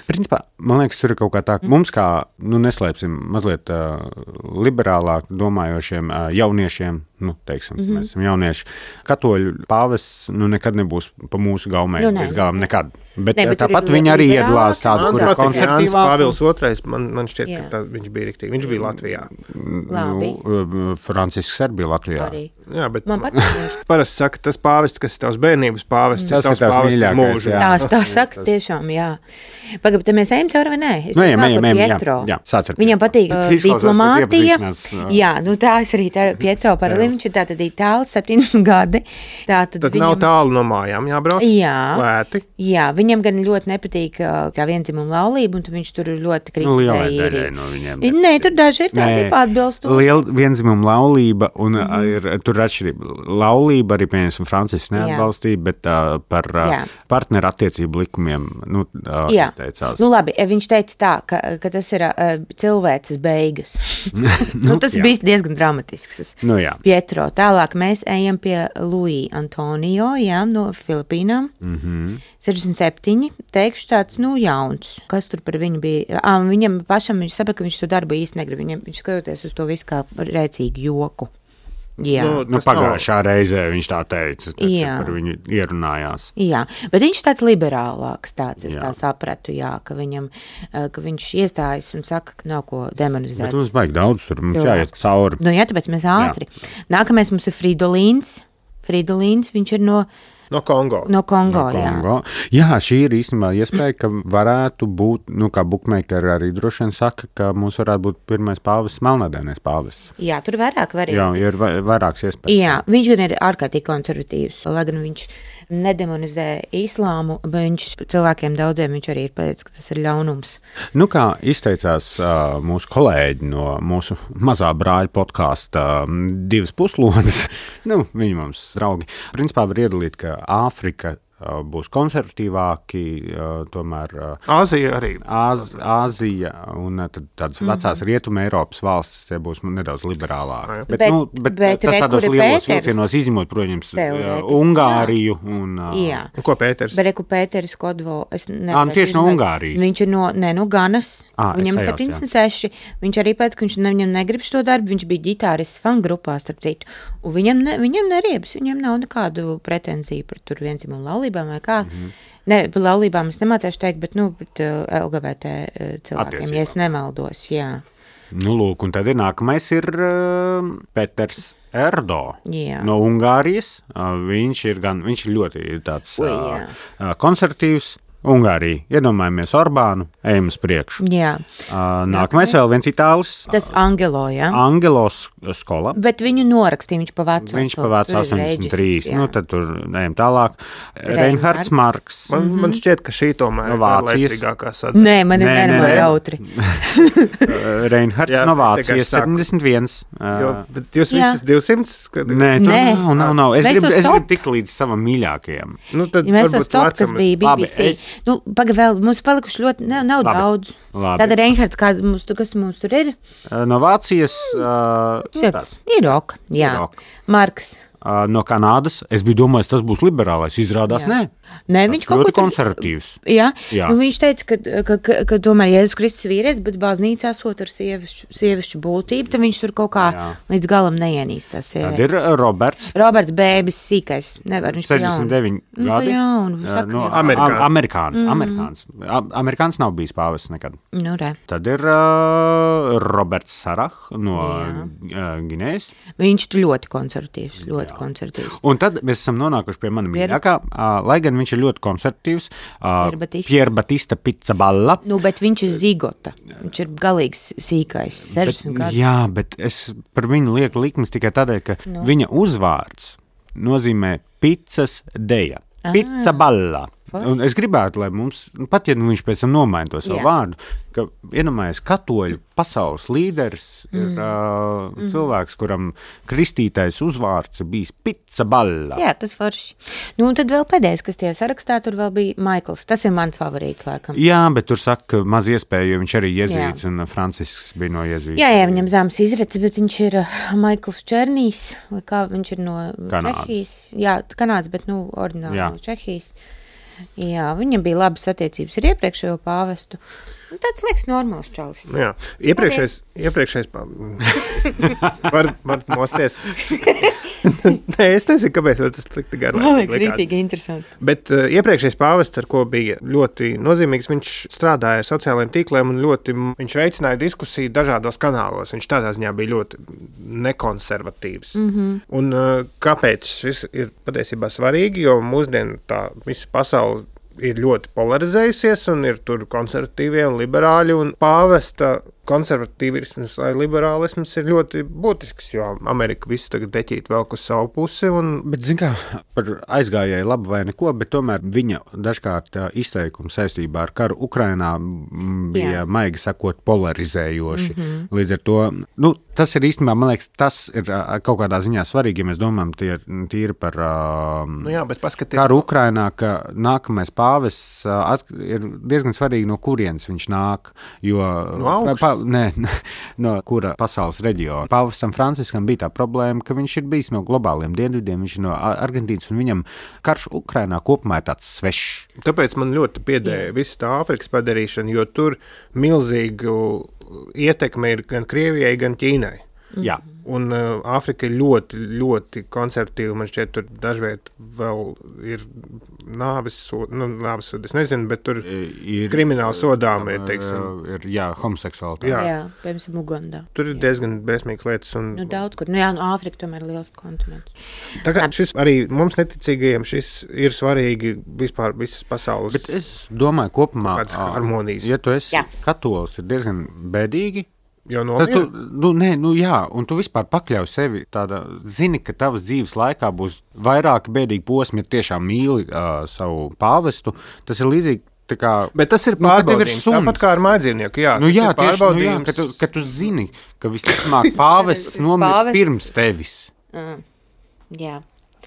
Principā, man liekas, tur ir kaut kā tā, ka mums kā, nu, neslēpsim, mazliet uh, liberālāk domājošiem uh, jauniešiem, nu, teiksim, mm -hmm. mēs esam jaunieši, katoļu pāvests, nu, nekad nebūs pa mūsu gaumē, Nu, nē, līdz galam nē. nekad. Bet Nē, nē, bet tur tāpat ir viņi arī liberāli, iedalās tādu, man kur ir patīk Jānis konservatīvāk. Pāvils otrais, man, man šķiet, Jā. ka tā, viņš bija riktīgi. Viņš bija Latvijā. Labi. Nu, uh, Francisks arī bija Latvijā. Arī. Jā, bet Man patīk viņš. parasti saka, tas pāvests, kas ir tavs bērnības pāvests, Tas ir tavs tavs pāvests mīļākais, mūžu. jā. Tā, tā saka tiešām, jā. Pagaid, te mēs ejam cauri vai nē? Es Nu, ejam, domāju ejam, par ejam, jā, Pietro. jā, sāc ar Viņam Pietro. patīk Tas uh, izklausās pēc diplomātija. iepazīšanās, uh, Jā, nu tā es arī tā Pietro par viņš ir tātad itālis, septiņdesmit gadi. Tātad Tad viņam, nav tālu no mājām jābrauc. Jā. Lēti. Jā, viņam gan ļoti nepatīk uh, tā viendzimuma laulība, un tad viņš tur ļoti Nu, lielai kritizēja. daļai īriju. no viņiem. Nē, tur daži ir tādi Nē, atbilstoši. Liela vienzimuma laulība, un mm -hmm. ir, tur tur atšķirība. Laulība arī, piemēram, Francisks neatbalstīja, bet uh, par uh, partneru attiecību likumiem nu, uh, izteicās. Nu labi, viņš teica tā, ka, ka tas ir uh, cilvēces beigas. nu, nu, tas jā. bija diezgan dramatisks. Nu, jā. Pietro. Tālāk mēs ejam pie Luis Antonio, jā, no Filipīnām. Mhm. sešdesmit septiņi, teikšu tāds, nu, jauns. Kas tur par viņu bija? Ā, viņam pašam, viņš saprata, ka viņš to darbu īsti negrib. Viņam, viņš skatoties uz to visu kā rēcīgu joku. Jā. Nu, nu, pagājušā nav... reizē viņš tā teica, tad, kad par viņu ierunājās. Jā, bet viņš tāds liberālāks tāds, es jā. tā sapratu, jā, ka viņam, ka viņš iestājas un saka, ka nav ko demonizēt. Bet mums vajag daudz, tur mums Cilvēks. jāiet cauri. Nu jā, tāpēc mēs ātri. Jā. Nākamais mums ir Fridolīns. Fridolīns, viņš ir no... No Kongo. No Kongo, no Kongo. Jā. Jā, šī ir īstenībā iespēja, ka varētu būt, nu, kā bookmakeri arī droši vien saka, ka mums varētu būt pirmais pāvests, melnādainais pāvests. Jā, tur vairāk varianti. Jā, ir vairāks iespējas. Jā, viņš gan ir ārkārtīgi konservatīvs, lai gan viņš nedemonizē islāmu, bet viņš cilvēkiem daudziem viņš arī ir pateicis, ka tas ir ļaunums. Nu, kā izteicās uh, mūsu kolēģi no mūsu mazā brāļa podkāsta uh, divas puslodes, nu, viņi mums draugi, principā var iedalīt, ka Āfrika uh, būs konservatīvāki, uh, tomēr uh, Āzija arī. Āz, Āzija un uh, tad tādas mm-hmm. vecās rietuma Eiropas valstis, tie būs nedaudz liberālāki. Bet, bet, nu, bet, bet tas tādos lielos Pēters, vilcienos izņemot, protams, uh, Ungāriju un... Uh, jā. Ko Pēters? Bet reku Pēteris Kodvo, es nevaru. Ā, tieši no Ungārijas. Viņš ir no, ne, no Ganas, à, viņam ir septiņdesmit seši, viņš arī pēc, ka viņš ne, viņam negrib šo darbu, viņš bija ģitārists fan grupā, starp citu, un viņam, ne, viņam neriebas, viņam nav nekādu pretenziju par tur vienzimumu laulībām vai kā. Mm-hmm. Ne, par laulībām es nemācēšu teikt, bet, nu, bet uh, L G B T uh, cilvēkiem, ja es nemaldos, jā. Nu, lūk, un tad ir nākamais ir uh, Peters Erdo jā. no Ungārijas. Uh, viņš ir gan, viņš ir ļoti tāds Ui, uh, uh, konservatīvs. Ungārija. Iedomājamies Orbānu, ejam uz priekšu. Jā. Uh, nākamais vēl viens itālis. Tas Angelo, jā. Angelo skola. Bet viņu norakstīja, viņš pa vecu. Viņš pa vecu astoņdesmit trīs. Nu, tad tur ejam tālāk. Reinhards Marks. Man, mm-hmm. man šķiet, ka šī tomēr ir laicīgākā sadaļa. Nē, man ir vienmēr jautri. Reinhards jā, no Vācijas septiņdesmit viens. Jo, bet jūs visas divsimts? Kad... Nē, tur Nē. nav, nav, nav. Es gribu grib tikt līdz savam mīļākajam. Nu, tad ja mēs tos top, kas bija B B C. Nu, paga vēl, mums palikuši ļoti, nav, nav Labi. daudz. Labi. Tāda Reinhards, kāda mums, kas mums tur ir? No Vācijas. Uh, Šeit, ir ok, jā. Ir ok. Marks. Uh, no Kanādas. Es biju domājis, tas būs liberālais. Izrādās, jā. nē. Nē, viņš kaut ļoti ko konservatīvs. Jā, jā. Nu, viņš teica, ka, ka, ka, ka tomēr Jēzus Kristus vīrietis, bet baznīcā esot ar sievišķu, sievišķu būtību, tad viņš tur kaut kā jā. līdz galam neienīst tās sievietes. Tad ir Roberts. Roberts Bēbis, sīkais. Nevar, viņš sešdesmit deviņi nu, gadi. Jaunu, saka, no, Amerikāns. Amerikāns. Mm. Amerikāns. Amerikāns nav bijis pāvests nekad. Nu, re. Tad ir uh, Roberts Sarah no uh, Ginejas. Viņš ir ļoti konservatīvs, ļoti jā. konservatīvs. Un tad mēs esam nonākuši pie mana mīļākā, uh, lai gan viņš ir ļoti konservatīvs. Uh, Pier Batista Pizzaballa. Nu, bet viņš ir zigota. Viņš ir galīgs sīkais. sešdesmit bet, gadu. Jā, bet es par viņu lieku likmes tikai tādēļ, ka no. viņa uzvārds nozīmē pizzas deja. Pizzaballa. Un es gribētu, lai mums, pat ja nu viņš pēc tam nomaina to savu jā. vārdu, ka iedomājies katoļu pasaules līderis mm. ir uh, mm. cilvēks, kuram kristītais uzvārds bijis Pizzaballa. Jā, tas forši. Nu, un tad vēl pēdējais, kas tie sarakstā, tur vēl bija Maikls. Tas ir mans favorīts, laikam. Jā, bet tur saka maz iespēju, jo viņš arī jezīts, un Francisks bija no jezīta. Jā, jā, viņam zāms izrecis, bet viņš ir uh, Maikls Černīs, vai kā viņš ir no Kanādas. Čehijas. Jā, Kanādas, bet, nu, ordināli jā. no Čehijas. Jā, viņam bija labas attiecības ar iepriekšējo pāvestu. Tāds liekas normāls čalis. Jā, iepriekšējais, iepriekšējais var, var mosties. Nē, es nezinu, kāpēc tas tik garāk. Man liekas rītīgi interesanti. Bet uh, iepriekšējais pāvests, ar ko bija ļoti nozīmīgs, viņš strādāja ar sociālajiem tīkliem un ļoti, viņš veicināja diskusiju dažādos kanālos. Viņš tādā ziņā bija ļoti nekonservatīvs. Mm-hmm. Un uh, kāpēc šis ir patiesībā svarīgi, jo mūsdien tā visa pasaule ir ļoti polarizējusies un ir tur konservatīvie un liberāļi un pāvesta konservatīvisms vai liberālisms ir ļoti būtisks, jo Amerika visu tagad deķīt vēl uz savu pusi. Un... Bet, zin kā, par aizgājēju labu vai neko, bet tomēr viņa dažkārt izteikumi saistībā ar karu Ukrainā bija, Jā. maigi sakot, polarizējoši. Mm-hmm. Līdz ar to, nu, tas ir īstenībā, man liekas, tas ir kaut kādā ziņā svarīgi, ja mēs domājam tie, tīri par uh, nu jā, karu Ukrainā, ka nākamais pāvests uh, at, ir diezgan svarīgi, no kurienes viņš nāk, jo no pa, nē, no kura pasaules reģiona. Pāvestam Franciskam bija tā problēma, ka viņš ir bijis no globāliem dienvidiem, viņš ir no Argentīnas, un viņam karš Ukrainā kopumā ir tāds svešs. Tāpēc man ļoti piedēja visa tā Āfrikas padarīšana, jo tur milzīgu ietekme ir gan Krievijai, gan Ķīnai. Jā. Un uh, Āfrika ir ļoti, ļoti konservatīva. Man šķiet, tur dažviet vēl ir nāves soda, nu, nāves soda, es nezinu, bet tur ir krimināli sodām ir, teiksim. Ir, jā, homoseksualitāte. Jā, jā piemēram, Ugandā. Tur ir diezgan briesmīgas lietas. Un... Nu, daudz kur. Nu jā, nu, Āfrika tomēr ir liels kontinents. Tā kā šis arī mums neticīgajiem šis ir svarīgi vispār visas pasaules. Bet es domāju, kopumā, kāds harmonijas. Ja tu esi jā. katolis, ir diezgan bēdīgi. Tad tu, nu, nē, nu jā, un tu vispār pakļauj sevi tādā, zini, ka tavas dzīves laikā būs vairāki bēdīgi posmi, ja tiešām mīli uh, savu pāvestu. Tas ir līdzīgi, tā kā... Bet tas ir pārbaudījums, nu, tāpat kā ar mājdzīvnieku, jā. Nu jā, ir tieši, nu jā, ka tu, ka tu zini, ka visticamāk pāvests nomirs pirms tevis. Mm. Jā.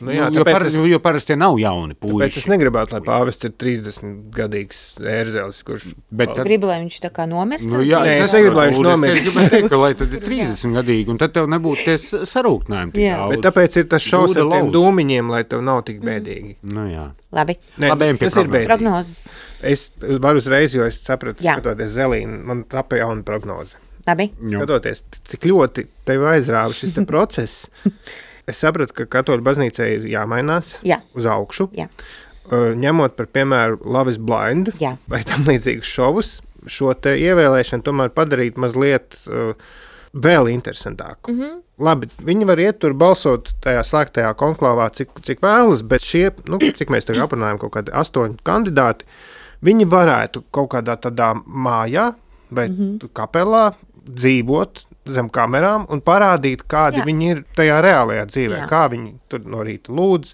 Nu jā, nu, jo, par, es, jo parasti tie nav jauni puiši. Tāpēc es negribētu, lai pāvests ir trīsdesmitgadīgs ērzelis, kurš... Bet tad... Gribu, lai viņš tā kā nomirst? Nu, jā, Nē, es negribu, lai viņš nomirst. Es gribētu teikt, ka lai tad ir trīsdesmitgadīgi, un tad tev nebūtu tie sarūknājumi tik daudz. Bet tāpēc ir tas šaus ar tiem dūmiņiem, lai tev nav tik bēdīgi. Mm. Nu jā. Labi. Nē, Labi, tas ir bēdīgi. Prognozes. Es varu uzreiz, jo es sapratu, jā. skatoties Zelīnu, man tapa jauna prognoze. Labi. Skatoties, cik ļoti tev aizrāva šis te process. Es sapratu, ka katoļu baznīcai ir jāmainās Jā. uz augšu, Jā. Uh, ņemot par piemēru Love is Blind Jā. vai tam līdzīgus šovus, šo te ievēlēšanu tomēr padarīt mazliet uh, vēl interesantāku. Mm-hmm. Labi, viņi var iet tur balsot tajā slēgtajā konklāvā, cik, cik vēlas, bet šie, nu, cik mēs tagad aprunājam, kaut kādi astoņi kandidāti, viņi varētu kaut kādā tādā mājā vai mm-hmm. kapelā dzīvot zem kamerām un parādīt, kādi Jā. viņi ir tajā reālajā dzīvē, Jā. kā viņi tur no rīta lūdz,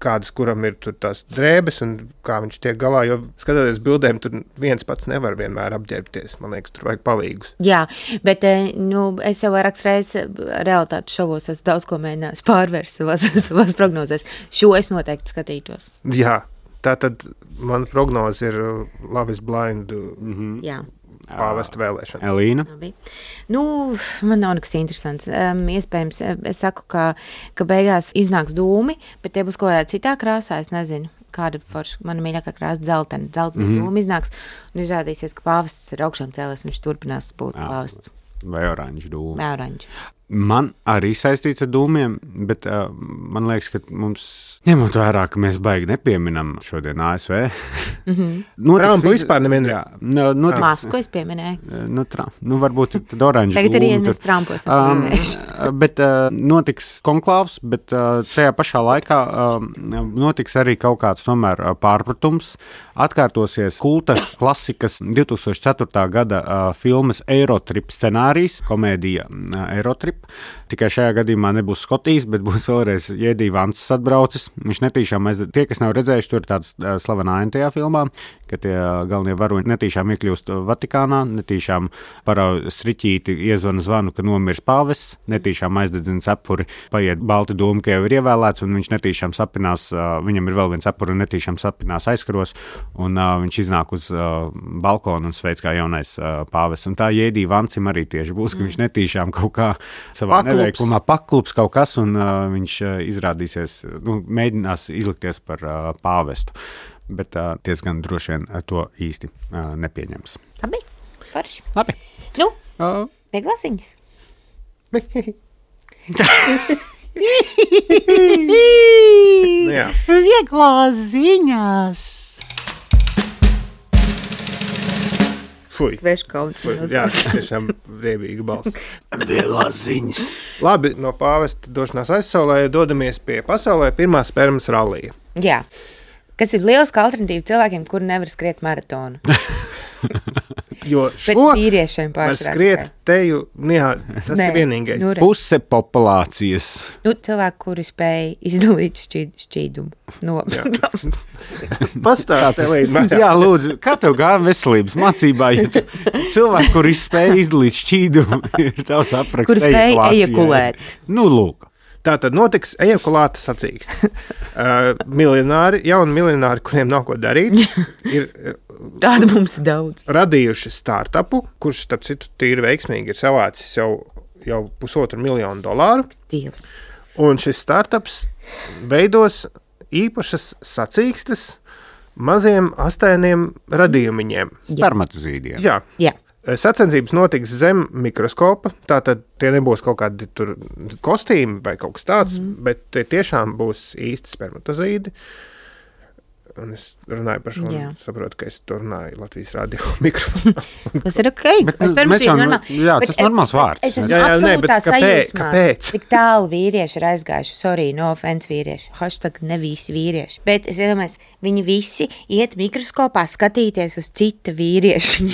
kādas, kuram ir tur tās drēbes un kā viņš tiek galā, jo skatoties bildēm, tur viens pats nevar vienmēr apģērbties, man liekas, tur vajag palīgus. Jā, bet, nu, es jau vairākas reizes realitātes šovos esmu daudz ko mēģinājis pārvērst savās, savās prognozēs. Šo es noteikti skatītos. Jā, tā tad man prognoze ir Love is Blind. Mm-hmm. Jā. Pāvesta vēlēšana. Elīna? Nu, man nav nekas interesants. Um, iespējams, es saku, ka, ka beigās iznāks dūmi, bet tie būs kaut kādā citā krāsā, es nezinu. Kāda forša, mana mīļākā krāsa dzeltena, dzeltena mm-hmm. dūmi iznāks, un izrādīsies, ka pāvests ir augšām cēlies, viņš turpinās būt Jā. pāvests. Vai oranžu dūmi. Vai oranžu. Man arī saistīts ar dūmiem, bet uh, man liekas, ka mums, ņemot vērā, ka mēs baigi nepieminam šodien A S V. Mm-hmm. Trumpu vispār nevienā. Notiks, Masku es pieminēju. Nu, tra, nu varbūt tad oranžu Tagad dūmi. Tagad arī mēs Trumpu esam um, pieminējuši. Bet uh, notiks konklāvs, bet uh, tajā pašā laikā uh, notiks arī kaut kāds tomēr uh, pārpratums. Atkārtosies kulta klasikas divtūkstoš ceturtā gada uh, filmas Eurotrip scenārijs, komēdija uh, Eurotrip. Tikai šajā gadījumā nebūs Skotijas, bet būs vēlreiz Jēdī Vants atbraucis. Viņš netīšām, aiz... tie, kas nav redzējuši, tur ir tāds uh, slavena aina tajā filmā, ka tie uh, galvenie varoņi netīšām iekļūst Vatikānā, netīšām parauj striķīti iezvana zvanu, ka nomirs pāvests, netīšām aizdedzina cepuri, paiet balti dūmi, ka jau ir ievēlēts, un viņš netīšām sapinās, uh, viņam ir vēl viens cepuri, un netīšām sapinās aizkaros, un uh, viņš iznāk uz uh, balkonu un sveic kā jaunais uh, pāvests. Un tā Jēdī Vancim arī tieši būs, ka viņš netīšām kaut kā savā paklups. neveiklumā paklups kaut kas, un uh, viņš uh, izrādīsies, nu, mēģinās izlikties par uh, pāvestu. Bet uh, diezgan droši vien to īsti uh, nepieņems. Labi, forši. Labi. Nu, uh. vieglās ziņas. Nu jā. Vieglās ziņas. Fui. Svešu kauns. Jā, tas tiešām riebīga balss. Vieglās ziņas. Labi, no pāvesta došanās aizsaulē dodamies pie pasaulē pirmā spermas rallija. Jā. Kas ir liels alternatīva cilvēkiem, kuri nevar skriet maratonu. Jo Bet šo vīriešiem var pārsvarā. skriet teju, jā, tas Nē, ir vienīgais. nu re. Puse populācijas. Nu, cilvēki, kuri spēj izdalīt šķīd, šķīdumu. No. Pastāst, Elīna, Jā, lūdzu, kā tev gāja veselības mācībā, ja tu cilvēki, kuri spēj izdalīt šķīdumu, ir tavs apraksts Kuri spēj ejakulācijai. ejakulēt. Nu, lūk. Tā tad notiks ejakulāta sacīkstes. Uh, miljonāri, jauni miljonāri, kuriem nav ko darīt, ir uh, Tāda mums ir daudz. radījuši startupu, kurš, starp citu, tīri veiksmīgi ir savācis jau, jau pusotru miljonu dolāru. Dievs. Un šis startups veidos īpašas sacīkstes maziem astainiem radījumiņiem. Spermatozīdiem. Jā. Jā. Sacensības notiks zem mikroskopa, tātad tie nebūs kaut kādi tur kostīmi vai kaut kas tāds, mm -hmm. bet tie tiešām būs īsti spermatozīdi. Un es runāju par šo, Jā. un saprotu, ka es to runāju Latvijas radio mikrofonā. Tas ir ok. Bet Es nu, pirms mēs jau- normāli. jā, Bet tas normāls vārds. Es esmu Jā, jā, nē, bet absolūtā kāpēc? sajūsmā. Kāpēc? Cik tālu vīrieši ir aizgājuši. Sorry, no offense vīrieši. Hashtag ne visi vīrieši. Bet es iedomājos, viņi visi iet mikroskopā skatīties uz cita vīrieša.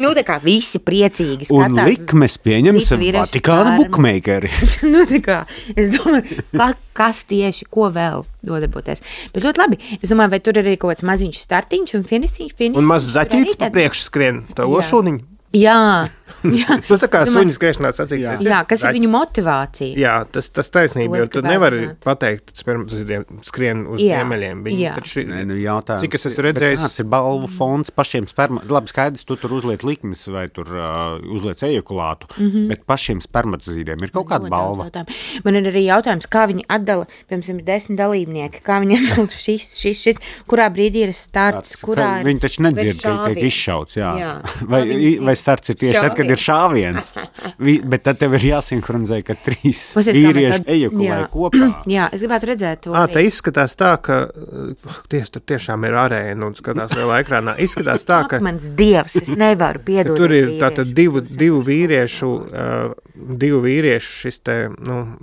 Nu, tā kā visi priecīgi Un skatās. uz- likmes pieņemsim citu vīriešu Vatikāna spermu. bukmeikeri. Nu, tā kā, es domāju, ka, kas tieši, ko vēl nodarboties. Bet ļoti labi. Es domāju, vai tur ir arī kaut kāds maziņš startiņš un finišiņš. finišiņš Un mazs tur arī zaķītis pa tāds- priekšu skrien, tā Jā. ošūniņa. Jā, jā. Nu, tā kā Es domāju- suņi skriešanā sacīkstes. Jā, kas ir viņu motivācija? Jā, tas, tas taisnība, To jo es tu gribētu nevari zināt. pateikt, ka spermatozīdiem skrien uz Jā, ziemeļiem. Viņi jā. taču ir- Nē, nu jautājums. Cik es esmu Bet redzējis? Kāds ir balvu fonds pašiem sperma? Labi, skaidrs, tu tur uzliec likmes vai tur uh, uzliec ejakulātu, mm -hmm. bet pašiem spermatozīdiem ir kaut kāda Ļoti balva. daudz jautājumu. Man ir arī jautājums, kā viņi atdala, piemēram, ir desmit dalībnieki, kā viņi atdala šis, šis, šis, kurā brīdī ir starts, kurā ir. Viņi taču nedzird, ka tiek šāviens. izšauts. Jā. Jā. Vai, Kā viņi vai starts ir tieši tad, kad ir šāviens. Vi, bet tad tev ir jāsinhronizē, ka trīs Pasies, kā mēs vīrieši at- ejakulē Jā. kopā. Jā, es gribētu redzēt to. Ā, arī. tā izskatās tā, ka uh, ties, tur tiešām ir arēna un skatās lielā ekrānā. Izskatās tā, ka Ak, mans dievs, es nevaru piedot. tur ir tātad divu, divu vīriešu, uh, divu vīriešu šis te, nu,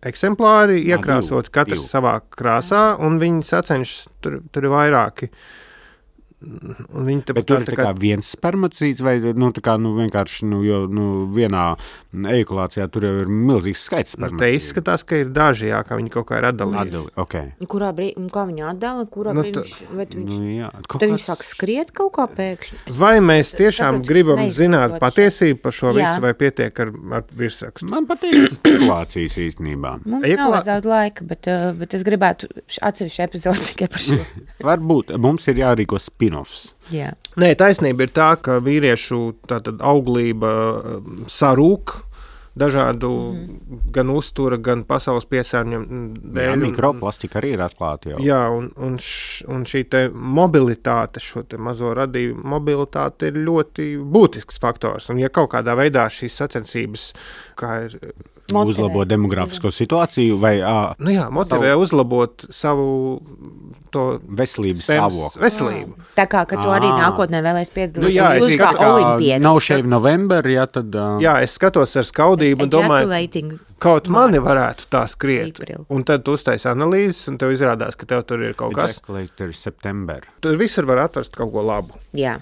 eksemplāri Jā, iekrāsot divu, katrs divu. savā krāsā, un viņi sacenšas, tur, tur ir vairāki. Un viņi tā, Bet tur ir tā kā viens spermatozīds, vai nu, tā kā, nu, vienkārši nu, jo, nu, vienā ejakulācijā tur jau ir milzīgs skaits nu, te spermatozīdu. izskatās, ka ir daži, jā, ka viņi kaut kā ir atdalījuši. Atdali, okay. Kurā brīdī, kā viņa atdala, kurā Nu, brīdī tā- viņš, vai tu viņš, Nu, jā, kaut tad viņš kas- sāk skriet kaut kā pēkšņi. Vai mēs tiešām saprotu, gribam es zināt neizprotu patiesību par šo Jā. visu, vai pietiek ar, ar virsrakstu? Man patīk spekulācijas īstenībā. Mums Ejakulā- nav vairs daudz laika, bet, uh, bet es gribētu š- atsevišķu epizodi tikai par šo. Varbūt mums ir jārīko spin-offs. Jā. Nē, taisnība ir tā, ka vīriešu tātad, auglība um, sarūk dažādu mm. gan uztura, gan pasaules piesārņojumu Jā, dēļ. un- mikroplastika arī ir atklāta jau. Jā, un, un, š, un šī te mobilitāte, šo te mazo radījumu mobilitāte ir ļoti būtisks faktors. Un ja kaut kādā veidā šīs sacensības, kā ir, Motivē. Uzlabo demografisko situāciju vai ā, nu jā, motivē uzlabot savu to veselības spermas stāvokli. veselību. Tā kā, ka tu arī Ā. nākotnē vēlēs piedalīties. Nu jā, es Jūs kā skatu, kā olimpietis. Nav šeit novembrī, ja tad. ā, Jā, es skatos ar skaudību un domāju, Ejaculating. kaut mani varētu tā skriet. April. Un tad tu uztaisi analīzes, un tev izrādās, ka tev tur ir kaut kas. Ejaculator September. Tur visur var atrast kaut ko labu. Jā.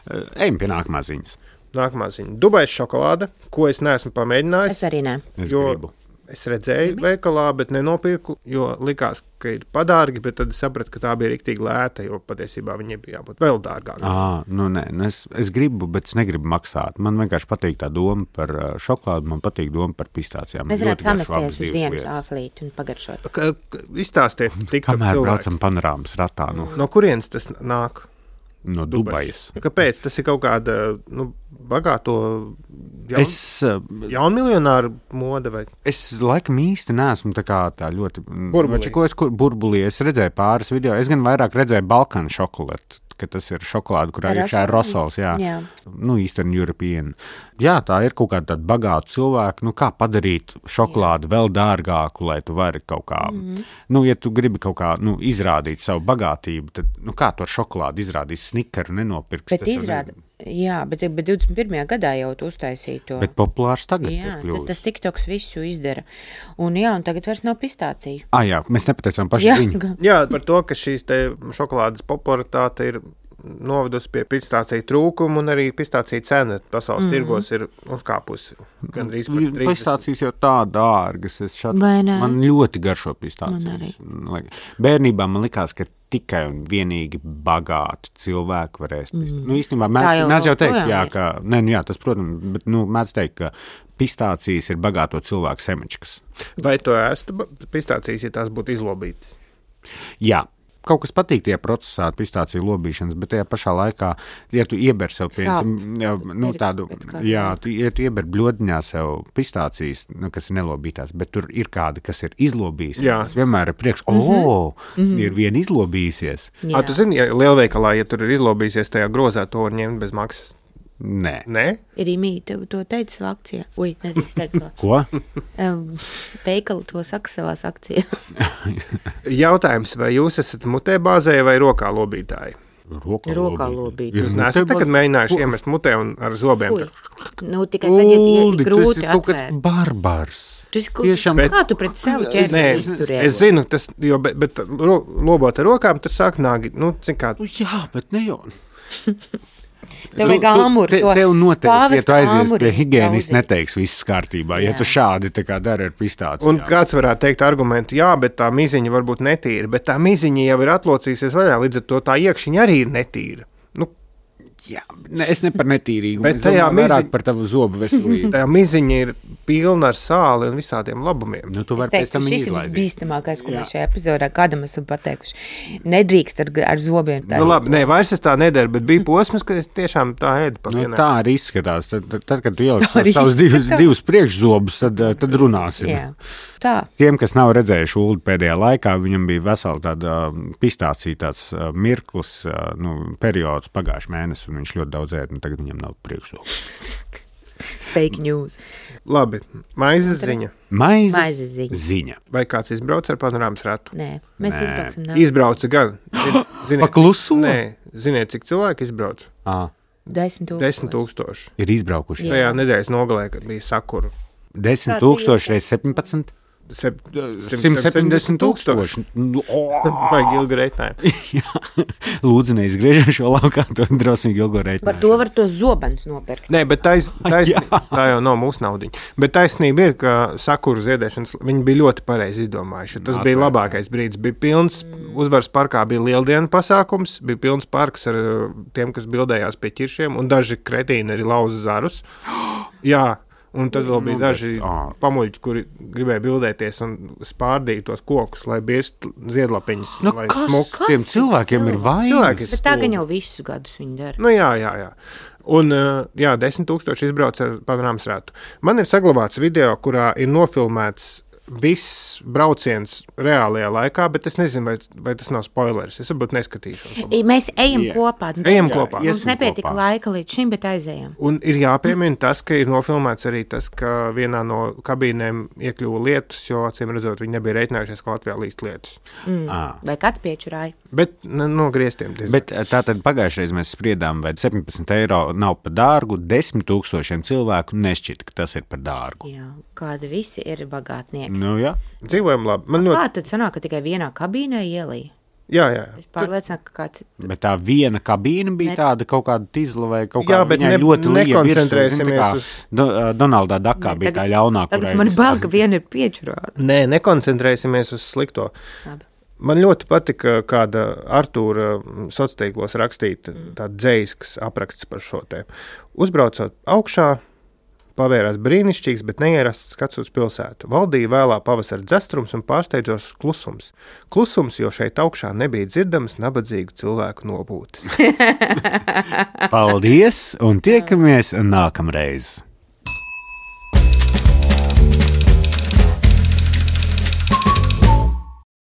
Ā, Ejam pie nākamā ziņas. Nākamā ziņa. Dubais šokolāde, ko es neesmu pamēģinājis. Es arī ne. Es Jo gribu. es redzēju veikalā, bet nenopirku, jo likās, ka ir padārgi, bet tad es sapratu, ka tā bija riktīgi lēta, jo patiesībā viņi bija jābūt vēl dārgākiem. À, nu nē, nu es, es gribu, bet es negribu maksāt. Man vienkārši patīk tā doma par ā, šokolādi, man patīk doma par pistācijām. Mēs Ļoti varētu garšo samesties abas uz divas vienu lietas. āflīti un pagaršot. K- k- Izstāstiet, tikā Kamēr braucam panorāmas ratā no, No kurienes tas nāk? no Dubajas. Kāpēc? Tas ir kaut kāda nu, bagāto jaun, Es, ā, jaunmiljonāru mode vai es laikam īsti neesmu tā kā tā ļoti Burbulī. Ko es kur, burbulī. Es redzēju pāris video. Es gan vairāk redzēju Balkānu šokolādi, ka tas ir šokolāde, kurā ir šā rosols. Jā, Jā. nu, Eastern European. Jā, tā ir kaut kāda tāda bagāta cilvēka. Nu, kā padarīt šokolādi vēl dārgāku, lai tu vari kaut kā, mm. nu, ja tu gribi kaut kā nu, izrādīt savu bagātību, tad, nu, kā to ar šokolādi izrādīs, snikeru nenopirks. Bet tas jau izrāda, ne- Jā, bet, bet divdesmit pirmajā gadā jau tu uztaisīji to. Bet populārs tagad Jā, ir kļuvis. tas TikToks visu izdara. Un jā, un tagad vairs nav pistāciju. Ah, jā, mēs nepateicām paši Jā, viņu. Jā, par to, ka šīs te šokolādes popularitāte ir novedusi pie pistāciju trūkuma, un arī pistāciju cena pasaules mm. tirgos ir uzkāpusi gandrīz par trīsdesmit. Pistācijas jau tā dārgas. Es šat, Vai ne? man ļoti garšo pistācijas. Man arī. Bērnībā man likās, ka tikai un vienīgi bagāti cilvēki varēs pistācijas. Mm. Nu, īstenībā, Tā mēdz, jau mēdz jau teikt, joprojām jā, ir. ka, ne, nu jā, tas, protams, bet, nu, mēdz teikt, ka pistācijas ir bagāto cilvēku semečkas. Vai tu ēstu pistācijas, ja tās būtu izlobītas? Jā. Kaut kas patīk tie procesā pistāciju lobīšanas, bet tajā pašā laikā, ja tu ieber sev, piemēram, nu, Pirks tādu, pēc kāda jā, laika. tu, ja tu ieber bļodiņā sev pistācijas, nu, kas ir nelobītās, bet tur ir kādi, kas ir izlobījis, Jā. tas vienmēr ir priekš, o, mm-hmm. ir viena izlobījusies. Jā. A, tu zini, ja lielveikalā, ja tur ir izlobīsies tajā grozā, to var ņemt bez maksas? Nē. Nē? Ir imī, tev to teica savā akcijā. Ui, nedrīkst teikt to. Ko? Um, Veikali to saka savās akcijās. Jautājums, vai jūs esat mutē bāzēji vai rokā lobītāji? Rokā, Rokā lobīt. lobīt. Ir Jūs mutē neesat nekad bāz- mēģinājuši iemest mutē un ar zobiem? Fui. Nu, tikai tad, ja, ja Uldi, ir tas grūti ir kaut kāds atvērt. barbars. Tu esi, Tiešām- kā tu pret sevi Nē, ķersi es, izturēji? es zinu, tas, jo, bet, bet ro, lobot ar rokām, tur sāk nāgi, nu, cik kā, Nu, jā, bet ne jau. Tev vajag āmuru, te, to tev noteikti, ja pāvesta tu aizies āmuri pie higiēnijas, daudzīt. neteiks viss kārtībā. Ja Jā. tu šādi tā kā dari ar pistāciju. un kāds varētu teikt argumentu, jā, bet tā miziņa varbūt netīra, bet tā miziņa jau ir atlocīsies vaļā, līdz ar to tā iekšiņa arī ir netīra. Nu, Jā, ne, es ne par netīrīgumu, Bet es tajā domāju vairāk mizi- par tavu zobu veselību. tā miziņa ir pilna ar sāli un visādiem labumiem. Nu, tu Es vari teiktu, pēc tam ka šis ir izlaidīt. visbīstamākais, ko Jā. mēs šajā epizodē kādam esam pateikuši. Nedrīkst ar, ar zobiem tā. Nu, labi, nē, vairs es tā nedaru, bet bija posms, ka es tiešām tā ēdu pa Nu, vienai. tā arī izskatās. Tad, tad, tad kad tu ieliec Tā arī savus divus, izskatās. divus priekšzobus, tad, eh, tad runāsim. Jā, tā. Tiem, kas nav redzējuši Ulu pēdējā laikā, viņam bija vesela tāda um, pistācija, tāds uh, mirklis, uh, nu, periods pagājuši mēnesi, un viņš ļoti daudz ēd, un tagad viņam nav priekšzobu. Fake news. Labi, maizes ziņa. Maizes, Maizes ziņa. ziņa. Vai kāds izbrauc ar panorāmas ratu? Nē, mēs Nē. izbrauksim. Nā. Izbrauca gan. Zin- Ziniet, Pakluso? Nē, ziniet, cik cilvēki izbrauca? À, Desmit tūkstoši. Desmit tūkstoši. ir izbraukuši. Jā. Tajā nedēļas nogalē, kad bija sakura. Desmit Kā tu tūkstoši jūties? reiz septiņpadsmit. Sep, Simt septiņdesmit tūkstoši. Nu, o! Vajag ilgi reiķinājumu. Jā. Lūdzu, neizgriežam šo laukā, to drosmīgi ilgo reiķi. Par to var tos zobenus nopirkt. Nē, bet tais, tais, Jā. tā jau nav mūsu naudiņa. Bet taisnība ir, ka sakuru ziedēšanas viņi bija ļoti pareizi izdomājuši. Tas bija Atvērt. labākais brīdis. Bija pilns, uzvaras parkā bija lieldienu pasākums, bija pilns parks ar uh, tiem, kas bildējās pie ķiršiem, un daži kretīni arī lauza zarus. Jā. Un tad vēl bija Nu, daži bet, ā. pamuļķi, kuri gribēja bildēties un spārdīja tos kokus, lai birst ziedlapiņas. Nu, lai kas smuk. tiem Kas ir cilvēkiem ir cilvēki? vainas? Cilvēki- Bet tā gan jau visus gadus viņi dara. Nu, jā, jā, jā. Un, uh, jā, desmit tūkstoši izbrauc ar panorāmas ratu. Man ir saglabāts video, kurā ir nofilmēts viss brauciens reālajā laikā, bet es nezinu, vai, vai tas nav spoilers. Es varbūt neskatīšos. I, Mēs ejam Jā. kopā. Ejam Jā, kopā. Mums Iesim nepietika kopā. laika līdz šim, bet aizējam. Un ir jāpiemina tas, ka ir nofilmēts arī tas, ka vienā no kabīnēm iekļuva lietus, jo, acīm redzot, viņi nebija reiķinājušies, ka Latvijā līst lietus. Mm. Ā. Vai kāds piečurāja? Bet nu, no griestiem diezgan. Bet tā tad pagājušajā reizē mēs spriedām, vai septiņpadsmit eiro nav par dārgu. Desmit tūkstošiem cilvēku nešķita, ka tas ir par dārgu. Jā, kādi visi ir bagātnieki. Nu, jā. Dzīvojam labi. Man ļoti, Kā tad sanāk, ka tikai vienā kabīnē ielīja? jā, jā. Es pārliecinātu, ka kāds Bet tā viena kabīne bija Ne- tāda kaut kāda tīzla vai kaut Jā, kāda bet viņai ne- ļoti liela. nekoncentrēsimies uz- Do, uh, Donaldā Dakā Nē, bija tagad- tā ļaunā, Tagad kurai man vis- bail, ka viena ir piečurāta. Nē, nekoncentrēsimies uz slikto. Labi. Man ļoti patika, kāda Artūra sociālos tīklos rakstīta tāda dzējisks apraksts par šo tēmu. Uzbraucot augšā, pavērās brīnišķīgs, bet neierasts skats uz pilsētu. Valdīja vēlā pavasara dzestrums un pārsteidzošs klusums. Klusums, jo šeit augšā nebija dzirdams nabadzīgu cilvēku nobūtis. Paldies un tiekamies nākamreiz!